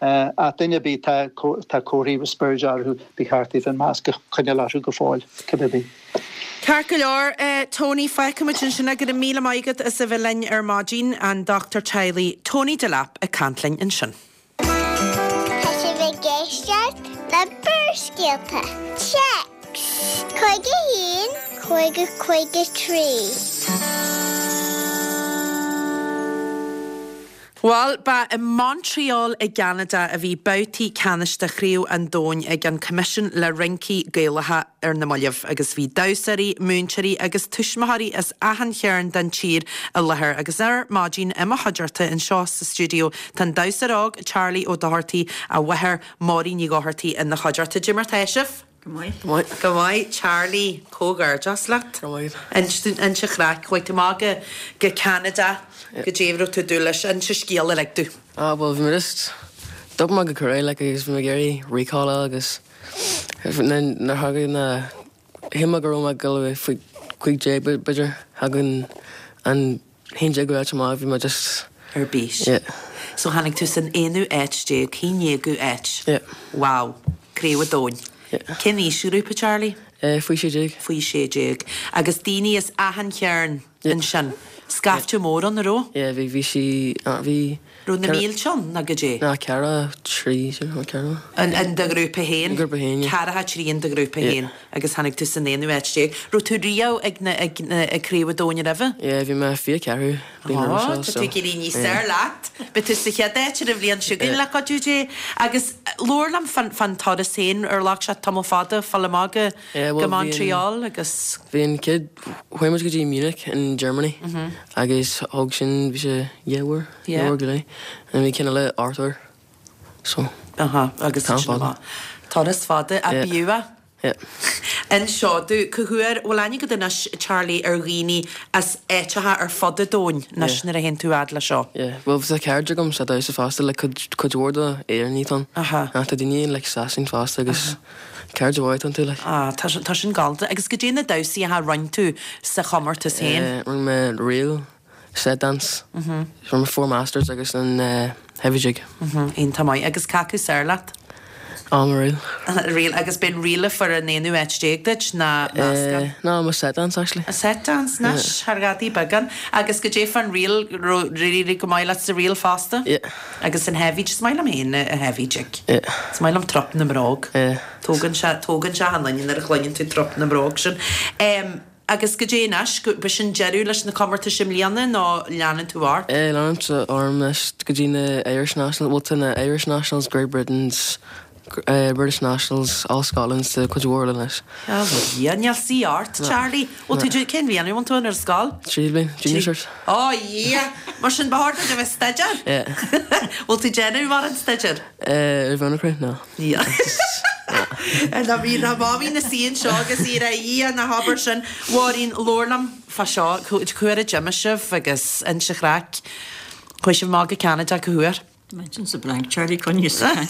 Ach duine ar bith atá tá comharthaí riospráide orthu, ba cheart daofa an masc a choinneáil orthu go fóill, cibé ar bith. Ceart go leor, Tony, fágfaimid ansin é. Go raibh míle maith agat as a bheith linn ar maidin, an dochtúir teaghlaigh Tony Delap ag caint linn ansin. Tá sibh ag éisteacht le Barrscéalta. Téacs 51 50 53. Bhuel, ba i Montreal i gCeanada a bhí babhtaí ceannais de Chraobh an Domhain ag an Coimisiún le Rincí Gaelacha ar na mallaibh agus bhí damhsóirí, múinteoirí agus tuismitheoirí as achan chearn den tír i láthair agus ar maidin i mo chuideachta anseo sa stiúideo tá an damhsóir óg Charlie Ó Dochartaigh, a mháthair Máirín Ní Dhochartaigh ina chuideachta. Cad é mar tá sibh? Go maith. Go maith. Go maith. Charlie, comhghairdeas leat. Go maith. Inis an chraic. Chuaigh tú amach go go Ceanada. Goidé a raibh tú ag dúil leis. Inis an scéal uilig domh. Ah bhuel bhí mé just d'obair mé go cruaidh like agus bhí mé ag iarraidh recall a fháil agus nuair a thagadh na shíl mé go raibh mé ag dul a bheith faoi 15 b'fhéidir thagadh an 11ú áit amach, bhí mé just. ar bís. Yeah. So tháinig tú san aonú áit déag, haon déagú áit. Yeah. Wow. Craobh an Domhain. Yeah. Cén aoisghrúpa, Charlie? Eh, faoi 16. Faoi 16. Agus daoine as achan chearn Yeah. ansin. Scaifte mór ann, an raibh? Yeah, bhí, bhí sí, ah, bhí. Raibh na mílte ann, nó goidé? Ná ceathracha trí, sin, ceathracha. In do ghrúpa féin? I ngrúpa féin, yeah. Ceathracha trí in do ghrúpa Yeah. féin. Agus tháinig tú san aonú áit déag. Raibh tú riamh ag na, ag na, ag Craobh an Domhain roimhe? Yeah, bhí mé 24 bliain roimhe Ó, seo, tá so. tú ag éirí níos yeah. fearr leat. Beidh tú sa chéad áit ar an bhliain seo chugainn Yeah. le cuidiú Dé. Agus labhair liom fán, fán turas féin, ar ghlac sé tamall fada fáil amach go, Yeah, go bhuel, bhí an, Montreal agus. bhí an chéad, chuaigh muid go dtí Munich in Germany agus thóg sin, bhí sé dhá uair, dhá Yeah. uair go leith. And bhí ceann eile ocht uair, so. Aha, agus Tamall sin fada. amach. Turas fada, a Yeah. b'fhiú é. Yeah. Inis domh, cá huair, bhfuil aithne agat anois, Charlie, ar dhaoine as áiteacha ar fud an domhain anois Yeah. nuair a théann tú fhad le seo? Yeah, bhuel tá cairde agam sa damhsa fosta, like cuid, cuid mhór de Éireannaigh atá ann. Aha. Ach tá daoine in like Sasain fosta agus cairde mhaith atá iontu like. Ah, tá sin, tá sin galánta. Agus goidé na damhsaí a rinne tú sa chomórtas féin? Eh, rinne mé reel. Set dance. Rinne mé four masters agus an heavy jig. Iontach maith. Agus cé acu is fearr leat? Á, mo reel. Reel. Agus b'in reel a fuair an aonú áit déag duit, ná meascán? No, mo set dance actually. A set dance, anois, thar ghadaí beagán. Agus goidé fán reel, raibh éirithe go maith leat sa reel fosta? Yeah. Agus an heavy, is maith liom féin a heavy jig. Yeah. Is maith liom trup na mbróg. Yeah. Tógann sé, tógann sé an duine nuair a chluineann tú trup na mbróg sin. Agus goidé anois, b'shin deireadh leis na comórtais i mbliana nó leanann tú ort? Eh, leanaimse orm anois go dtí na Irish Nationals, bhuel tá na Irish Nationals, Great Britain's, eh, British Nationals, All Scotland's, tá cuid mhór eile anois. A Mhuire, níl suí ort, Charlie. Bhfuil tú, cén bhliain a bhfuil tú ann ar scoil? Tríú bliain, junior cert. Ó, yeah! Mar sin ba chóir duit a bheith ag staidéar? Yeah. Bhfuil tú ag déanamh mórán staidéir? Eh, ar bhonn an chroí, no. Níl. Ná bhí ná Mamaí ina suí anseo agus í ar a ná habair sin. Mháirín, labhair liom fá seo, cá huair a d'imigh sibh agus inis an chraic. Chuaigh sibh amach go Ceanada cá huair? Imagine sa blank, Charlie Coinne sa chaint.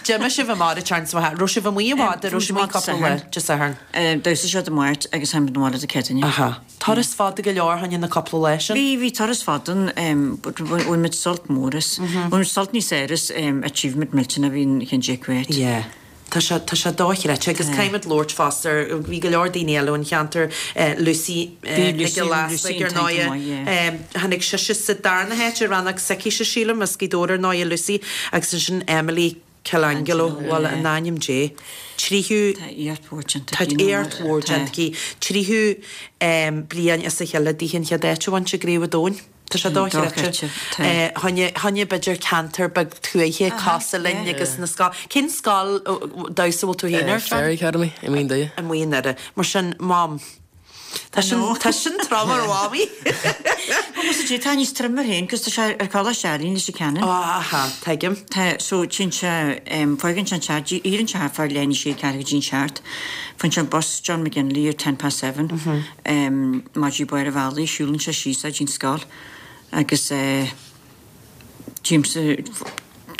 D'imigh sibh amach ar an tsean sa Raibh sibh amuigh i bhfad, raibh sibh amuigh cúpla lá, Dé Sathairn. Damhsa seo Dé Máirt agus tháinig muid abhaile Dé Céadaoine. Aha. Turas fada go leor fá choinne na cúpla lá sin. Bhí, bhí turas fada ann but bhain muid sult mór as. Bhain muid sult níos fearr as achievement millteanach a bhí an cheann déag uait. Yeah. Tá sé, tá sé dochreidte agus caithfidh muid labhairt fosta ar, bhí go leor daoine eile ón cheantar, Lucy Bhí Nic Lucy, Giolla Lucy Easpaig ar an t-aon ndóighe. maith, yeah. Tháinig sise sa darna háit i rannóg s'aicise sílim, as Gaoth Dobhair ar ndóighe Lucy agus ansin Emily Colangelo, bhuel, in ainm Dé, tríú. Tá éacht mhór déanta Tá aici. éacht mhór déanta aici. Tríú bliain as a chéile dithe an chéad áit a bhaint i gCraobh an Domhain. Tá sé dochreidte. Fá choinne b'fhéidir ceantar beag tuaithe cosúil linn agus na scoil. Cén scoil damhsa a bhfuil tú féin ar? Fairy Academy i Maigh Doire. I Maigh Doire. Mar sin, Mam. Tá sin, tá sin trom ar Mhamaí. Bhuel, sea, tá níos troime air féin, cos tá sé ar Choláiste Ealaíon Leitir Ceanainn. Ó, aha, tuigim. Tá, so, téann sé, fágann sé an teach, éiríonn sé thart fá leath i ndiaidh a sé, ceathrú go dtí an seacht, faigheann sé an bus John McGinley ar ten past seven, amach dtí barr an bhealaigh, siúlann sé síos é dtí'n scoil agus eh, tchímse.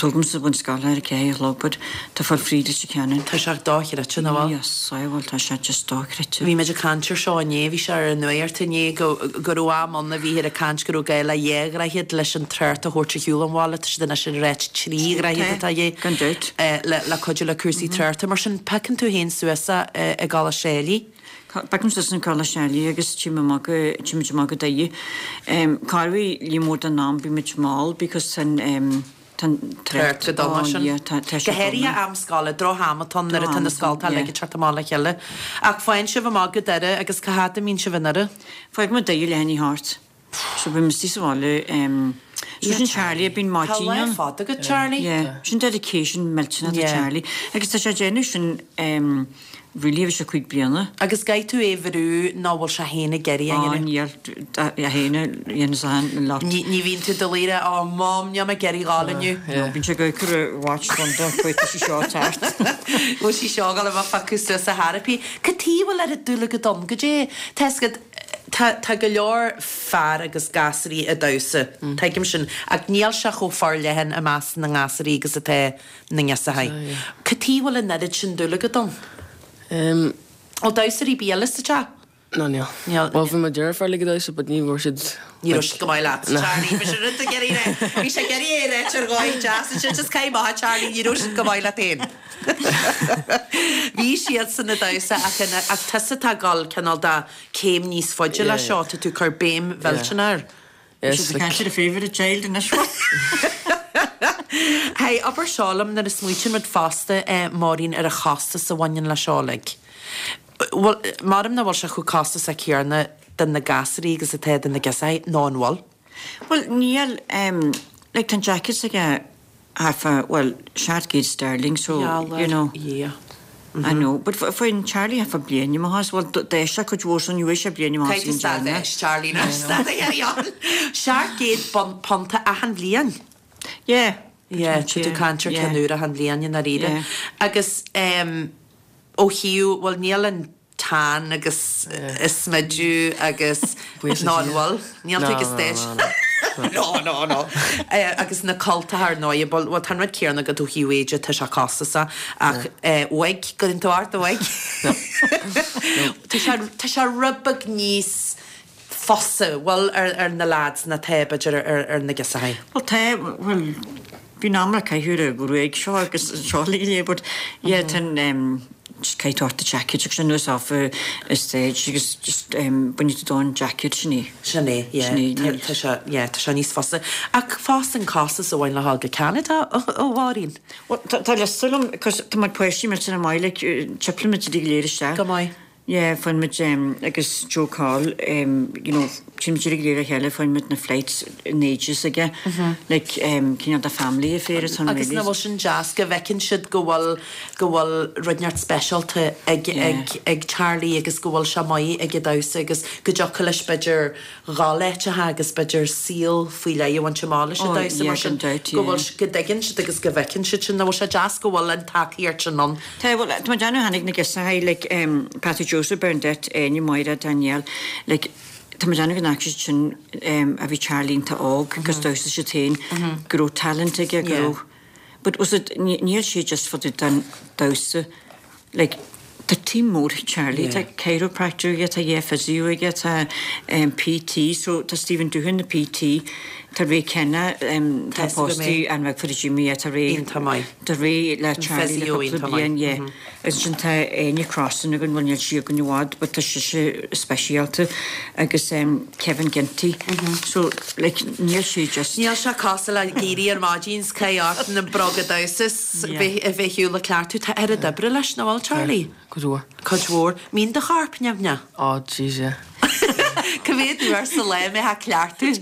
Tógaimse ón scoil ar a ceathair a chlog but tá fáil fríd Leitir Ceanainn. Tá sé dochreidte, nach bhfuil? Yes, I bhfuil, tá sé just dochreidte. Bhí muid ag caint ar seo inné, bhí sé ar an nuacht inné go go raibh am ann a bhíthear ag caint go raibh gá le dhá dhroichead leis an trácht a thabhairt ar shiúl an bhaile, tá siad anois ag ráit trí dhroichead atá de Gan dabht. le le cuidiú le cúrsaí tráchta. Mar sin, piocann tú féin suas é i gColáiste Ailigh? Piocaim suas in Coláiste Ailigh agus téim amach go, téimid amach go Doire. Corruair líon mór den am bímid mall because tá an, tá an trácht go dona sin. Yeah, tá, tá sé Go háirithe dona. am scoile, droch-am atá ann nuair atá na Droch-am atá ann, scoltacha yeah. uilig ag teacht amach le chéile. Ach faigheann sibh amach go Doire agus cá fhad a mbíonn sibh i nDoire? Fágfaimid Doire leath i ndiaidh a hocht. So bím istigh sa bhaile so sin Charlie a bíonn Tá maidin lá ann. fada agat Charlie. Yeah, sin dedication millteanach do Yeah. Charlie. Agus tá sé ag déanamh sin really ó bhí sé 5 bliana. Agus caithfidh tú é bhrú nó bhfuil sé féin ag iarraidh a Á dhéanamh? níl, é féin a dhéanamh an lot. Ní ní bhíonn tú do luí oh mom níl mé ag iarraidh dhul inniu. No, bíonn sé ag cur a watch dom chuig tá sí seo ag teacht. Bhfuil sí seo ag dul a bheith fágtha suas a therapy. Cad tuige a bhfuil oiread dúil agat ann? Goidé, tá fhios agat, Tá, tá go leor fear agus gasraí ag damhsa, tuigim sin, ach níl sé chomh forleathan i measc na ngasraí agus atá na ngirseachaí. Cad tuige a bhfuil an oiread sin dúil agat ann? Bhfuil damhsóirí ar bith eile sa teach? No, níl. Níl. Bhuel, bhí mo dheirfiúr like ag damhsa, but ní raibh siad, Ní raibh siad go maith leat, Charlie. Bhí sé rud ag iarraidh a rá. Bhí sé ag iarraidh é a ráit ar dhóigh deas ansin, just caith amach, Charlie, ní raibh siad go maith leat féin. Bhí siadsan ag damhsa ach ina, ach tusa atá ag dul cineál de céim níos faide le seo, tá tú ag cur béim mhillteanach air. Yes, Siad ag caint ar a favourite child anois. Hey, abair seo liom, nuair a smaoitíonn muid fosta, Máirín, ar an chostas a bhaineann le seo uilig. Bhuel, maram nach bhfuil sé chomh costasach céanna do na gasraí agus atá do na girseachaí, nó an bhfuil? Bhuel, níl, like tá an jacket s'aige half a, bhuel, 700 sterling, so, you know. Yeah. I know, but faigheann Charlie half a bliain amach as, bhuel, d'fhás sé cuid mhór so ní bhfuair sé bliain amach as Caithfidh tú stad leis, Charlie, ná stad a dhéanamh. 700 punta achan bhliain. Yeah. Yeah, tá tú ag caint ar ceann úr achan bhliain i ndáiríre. Yeah. Agus ó thaobh, bhuel, níl an tan agus an smideadh agus ná an bhfuil? Níl tú ag stage. No, no, no. Agus na cultacha ar ndóigh, bhuel, bhuel, tá an rud céanna agat ó thaobh éide, tá sé costasach, ach wig, cuireann tú ort an wig. Tá sé, tá sé rud beag níos fusa, bhfuil, ar, ar na lads ná tá, b'fhéidir, ar, ar na girseachaí. Bhuel tá, bhuel, bíonn am le caitheamh ar an ghruaig seo agus seo le chéile but yeah tá an em just caithfidh tú ort do jacket agus anuas off an stage agus just em bainfidh tú dó an jacket sin é. Sin é, yeah. Sin é, Tá, níl. tá sé, yeah, tá sé níos fusa. Ach fosta an costas a bhain le dhul go Ceanada, a Mháirín? Bhuel tá, tá liosta liom 'cause tá muid páistí millteanach maith like chipleann muid go léir isteach. Go maith. Yeah, faigheann muid em agus Joe Coll em you know téann muid uilig le chéile faigheann muid na flights in ages aige like em cineál de family affair atá ann Agus really. nach bhfuil sin deas go bhfeiceann siad go bhfuil go bhfuil rud inteacht speisialta ag ag ag Charlie agus go bhfuil sé maith ag an damhsa agus go dtiocfadh leis b'fhéidir dhul áiteacha agus b'fhéidir saol faoi leith a bhaint amach leis an Oh damhsa yeah mar sin gan dabht go yeah. bhfuil go dtuigeann siad agus go bhfeiceann siad sin nach bhfuil sé deas go bhfuil an tacaíocht sin ann. Tá, bhuel, tá mé ag déanamh tháinig na girseachaí, like, em, Patty Joseph, Bernadette, Áine, Máire, Danielle, like, tá mé ag déanamh go bhfaca siad sin, em, a bhí Charlie iontach óg agus damhsa siad féin, go raibh talent aige, go raibh, but was it, níl sé just fá dtaobh den damhsa, like, tá team mór ag Charlie, tá chiropractor aige, tá yeah physio aige, tá, em, PT, so tá Stephen Doohan, the PT, tá Ray Kenna, em, tá pósta an bheag for Jimmy, yeah, tá Ray, Iontach maith. Tá Ray le Charlie le cúpla bliain, yeah. Agus ansin tá Áine Crossan againn, bhuel níl sí againn i bhfad but tá sise speisialta agus Kevin Ginty. So like níl sé just. Níl sé cosúil le éirí ar maidin 's caith ort na bróga damhsa 's bheith ar shiúl ag cleachtadh. Tá oiread oibre leis, nach bhfuil Charlie? Cuid mhór. Cuid mhór. Mbíonn do chorp nimhneach? Oh jeez yeah. Cá mhéad uair sa lá a mbeifeá ag cleachtadh?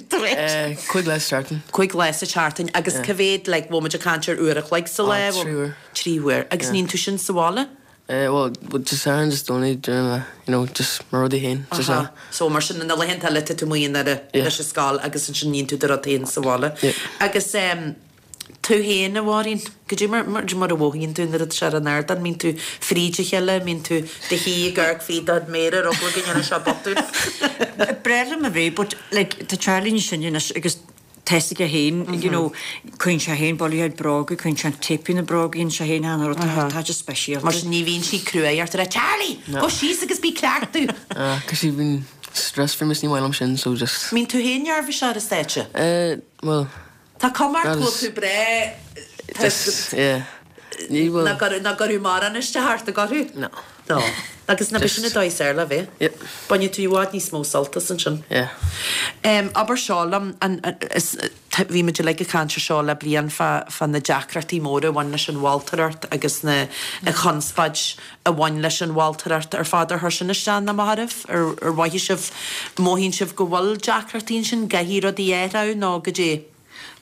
Cúig lá sa tseachtain. Cúig lá sa tseachtain agus cá mhéad like bhfuil muid ag caint ar uair a chloig sa lá? Oh trí huair. Trí huair. Agus níonn tú sin sa bhaile? Bhuel just Satharn just only during the you know just mo rudaí féin sa Aha. So mar sin na laethanta eile tá tú amuigh i nDoire leis an scoil agus ansin níonn tú do rud féin sa bhaile. Agus em Tú féin, a Mháirín, goidé mar mar a mhothaíonn tú nuair atá sé ar an ardán? Mbíonn tú fríd a chéile? Mbíonn tú do shuí ag amharc fríd do chuid méara ar eagla go ndéanfaidh sé botún? Breá liom a bheith but like tá Charlie níos sine anois agus tá. Tá a fhios aige féin, you know, cuireann sé féin boladh ar bróga, cuireann sé an téip ar na bróga, dhéanann sé féin achan rud, tá sé speisialta. Mar sin ní bhíonn sí cruaidh ort a rá, Charlie, gabh síos agus bí ag cleachtadh! Cos sí bíonn stress faoi is ní maith liom sin so just. Mbíonn tú féin neirbhíseach ar an stáitse? Eh, bhuel. Tá cuma ort go bhfuil tú breá, tá Just, yeah. Ní bhfuil. Nach gcuirfeadh mórán isteach ort, an gcuirfeadh? No. No. Agus ná b'shin an dóigh is fhearr le bheith. Yep. Bainfidh tú i bhfad níos mó sult as ansin. Yeah. Abair seo liom, an, is, bhí muid uilig ag caint ar seo le bliain fá, fá na deacrachtaí móra a bhain leis an mholtóireacht agus na, an chonspóid a bhain leis an mholtóireacht ar fad. Ar chuir sin isteach nó amach oraibh? Ar, ar mhothaigh sibh, mothaíonn sibh go bhfuil deacrachtaí ansin, gcaithfidh rudaí athrú nó goidé?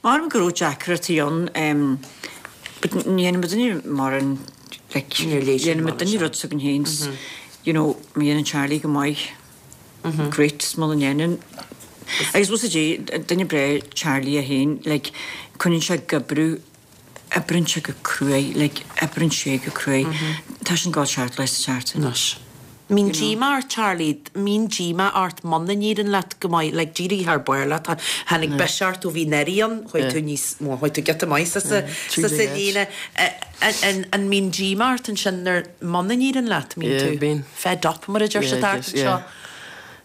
Maram go raibh deacrachtaí ann but ní dhéanann muidinne mórán like dhéanann muidinne rud s'againn féin you know má dhéanann Charlie go maith great is muna ndéanann agus bhfuil a fhios agat duine breá Charlie é féin like coinníonn sé ag oibriú oibríonn sé go cruaidh like oibríonn sé go cruaidh tá sé ag gabháil seacht lá sa tseachtain. Anois. Mbíonn díomá ort Charlie, mbíonn díomá ort muna n-éiríonn leat go maith, like d'éirigh thar barr leat, tháinig biseach ort ó bhí Neri ann, chuaigh tú níos, bhuel chuaigh tú giota maith sa sa sa líne, an mbíonn díomá ort ansin nuair muna n-éiríonn leat, mbíonn tú fed up mar a deir siad thart anseo?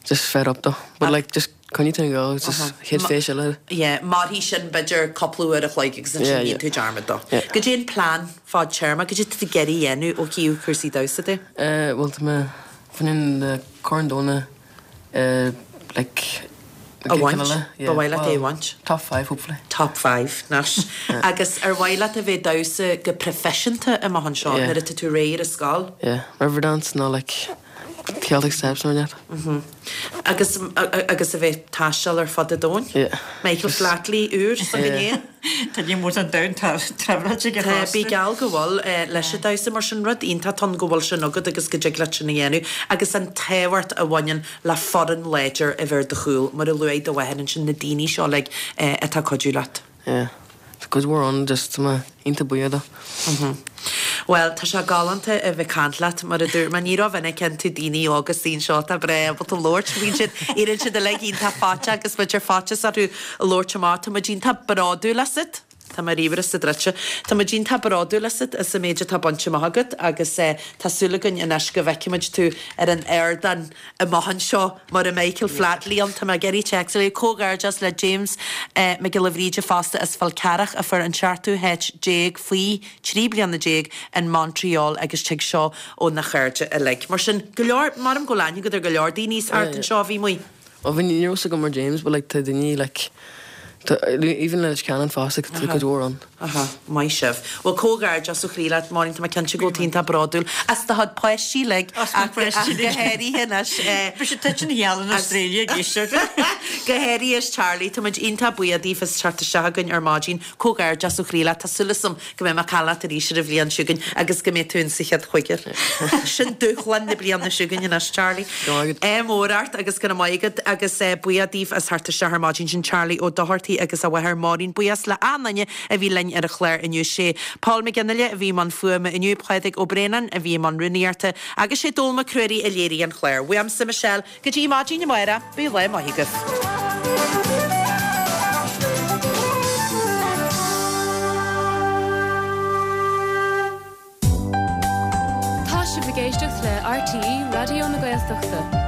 Just fed up though, but like just coinnigh tú ag gabháil, just chéad feis eile. Yeah, mairfidh sin b'fhéidir cúpla uair a chloig agus ansin bíonn tú dearmad dó. Goidé an plean fadtéarma, goidé tá tú ag iarraidh a dhéanamh ó thaobh cúrsaí damhsa de? Bhuel tá mé fá choinne na Corn Domhanda like a bhaint, ba mhaith leat é a bhaint? Top 5 hopefully. Top 5, anois. Agus ar mhaith leat a bheith ag damhsa go proifisiúnta amach anseo nuair atá tú réidh ar an scoil? Yeah, Riverdance nó like Celtic Steps nó rud inteacht. Agus agus a bheith ag taisteal ar fud an domhain? Yeah. Michael Flatley úr s'againn féin. Tá ní mór don domhan traibhreáilte aige Tá, bí geall go bhfuil leis an damhsa mar sin rud iontach ann go bhfuil sin agat agus go dtig leat sin a dhéanamh agus an tábhacht a bhaineann le foireann láidir a bheith ar do chúl mar a luaigh do mháthair ansin na daoine seo uilig atá ag cuidiú leat. Yeah. Tá cuid mhór ann just tá mé iontach buíoch dó. Bhuel, tá sé galánta a bheith ag caint leat, mar a dúirt mé, ní rómhinic a fheiceann tú daoine óga istigh anseo atá breá ábalta labhairt, bíonn siad, éiríonn siad uilig iontach faiteach agus b'fhéidir faitíos orthu labhairt amach. Tá muid iontach bródúil asat. Tá mo ríomhaire sa druidte. Tá muid iontach bródúil asat as an méid atá bainte amach agat agus tá súil againn anois go bhfeicfimid tú ar an ardán amach anseo mar an Michael Flatley ann. Tá mé ag iarraidh téacs a léamh. Comhghairdeas le James Mac Giolla Bhríde fosta as Fál Carrach a fuair an seachtú háit déag faoi 13 bliana in Montreal agus tig seo óna chairde uilig. Mar sin, go leor, maram go bhfuil aithne agat ar go leor daoine thart anseo a bhí amuigh. Bhuel bhí, ní raibh fhios agam mar James but like tá daoine like tá even Leitir Ceanainn fosta tá cuid mhór ann. Aha, maith sibh. Bhuel comhghairdeas ó chroí leat Máirín, tá mé cinnte go bhfuil tú iontach bródúil as do chuid páistí uilig As mo ach pháistí go uilig. háirithe anois eh, Bhí siad tite ina gheall in as Australia ag éisteacht. Go háirithe as Charlie, tá muid iontach buíoch daoibh as teacht isteach chugainn ar maidin. Comhghairdeas ó chroí leat, tá súil agam go mbeidh mé ag caint leat arís ar an bhliain seo chugainn agus go mbeidh tú in sa chéad chúigear. Sin dúshlán na bliana seo chugainn anois, Charlie. Go raibh maith agat. Ádh mór ort agus go raibh maith agat agus buíoch daoibh as theacht isteach ar maidin. Sin Charlie Ó Dochartaigh agus a mháthair Máirín. Buíochas le achan duine a bhí linn ar an chlár inniu. Sé Paul McGinley a bhí i mbun fuaime inniu, Pádraig Ó Braonáin a bhí i mbun rúnaíochta agus sé Dónall Mac Ruairí a léirigh an clár. Uaimse Michelle, Go dtí maidin amárach, bíodh lá maith agaibh. Tá sibh ag éisteacht le RTÉ Raidió na Gaeltachta.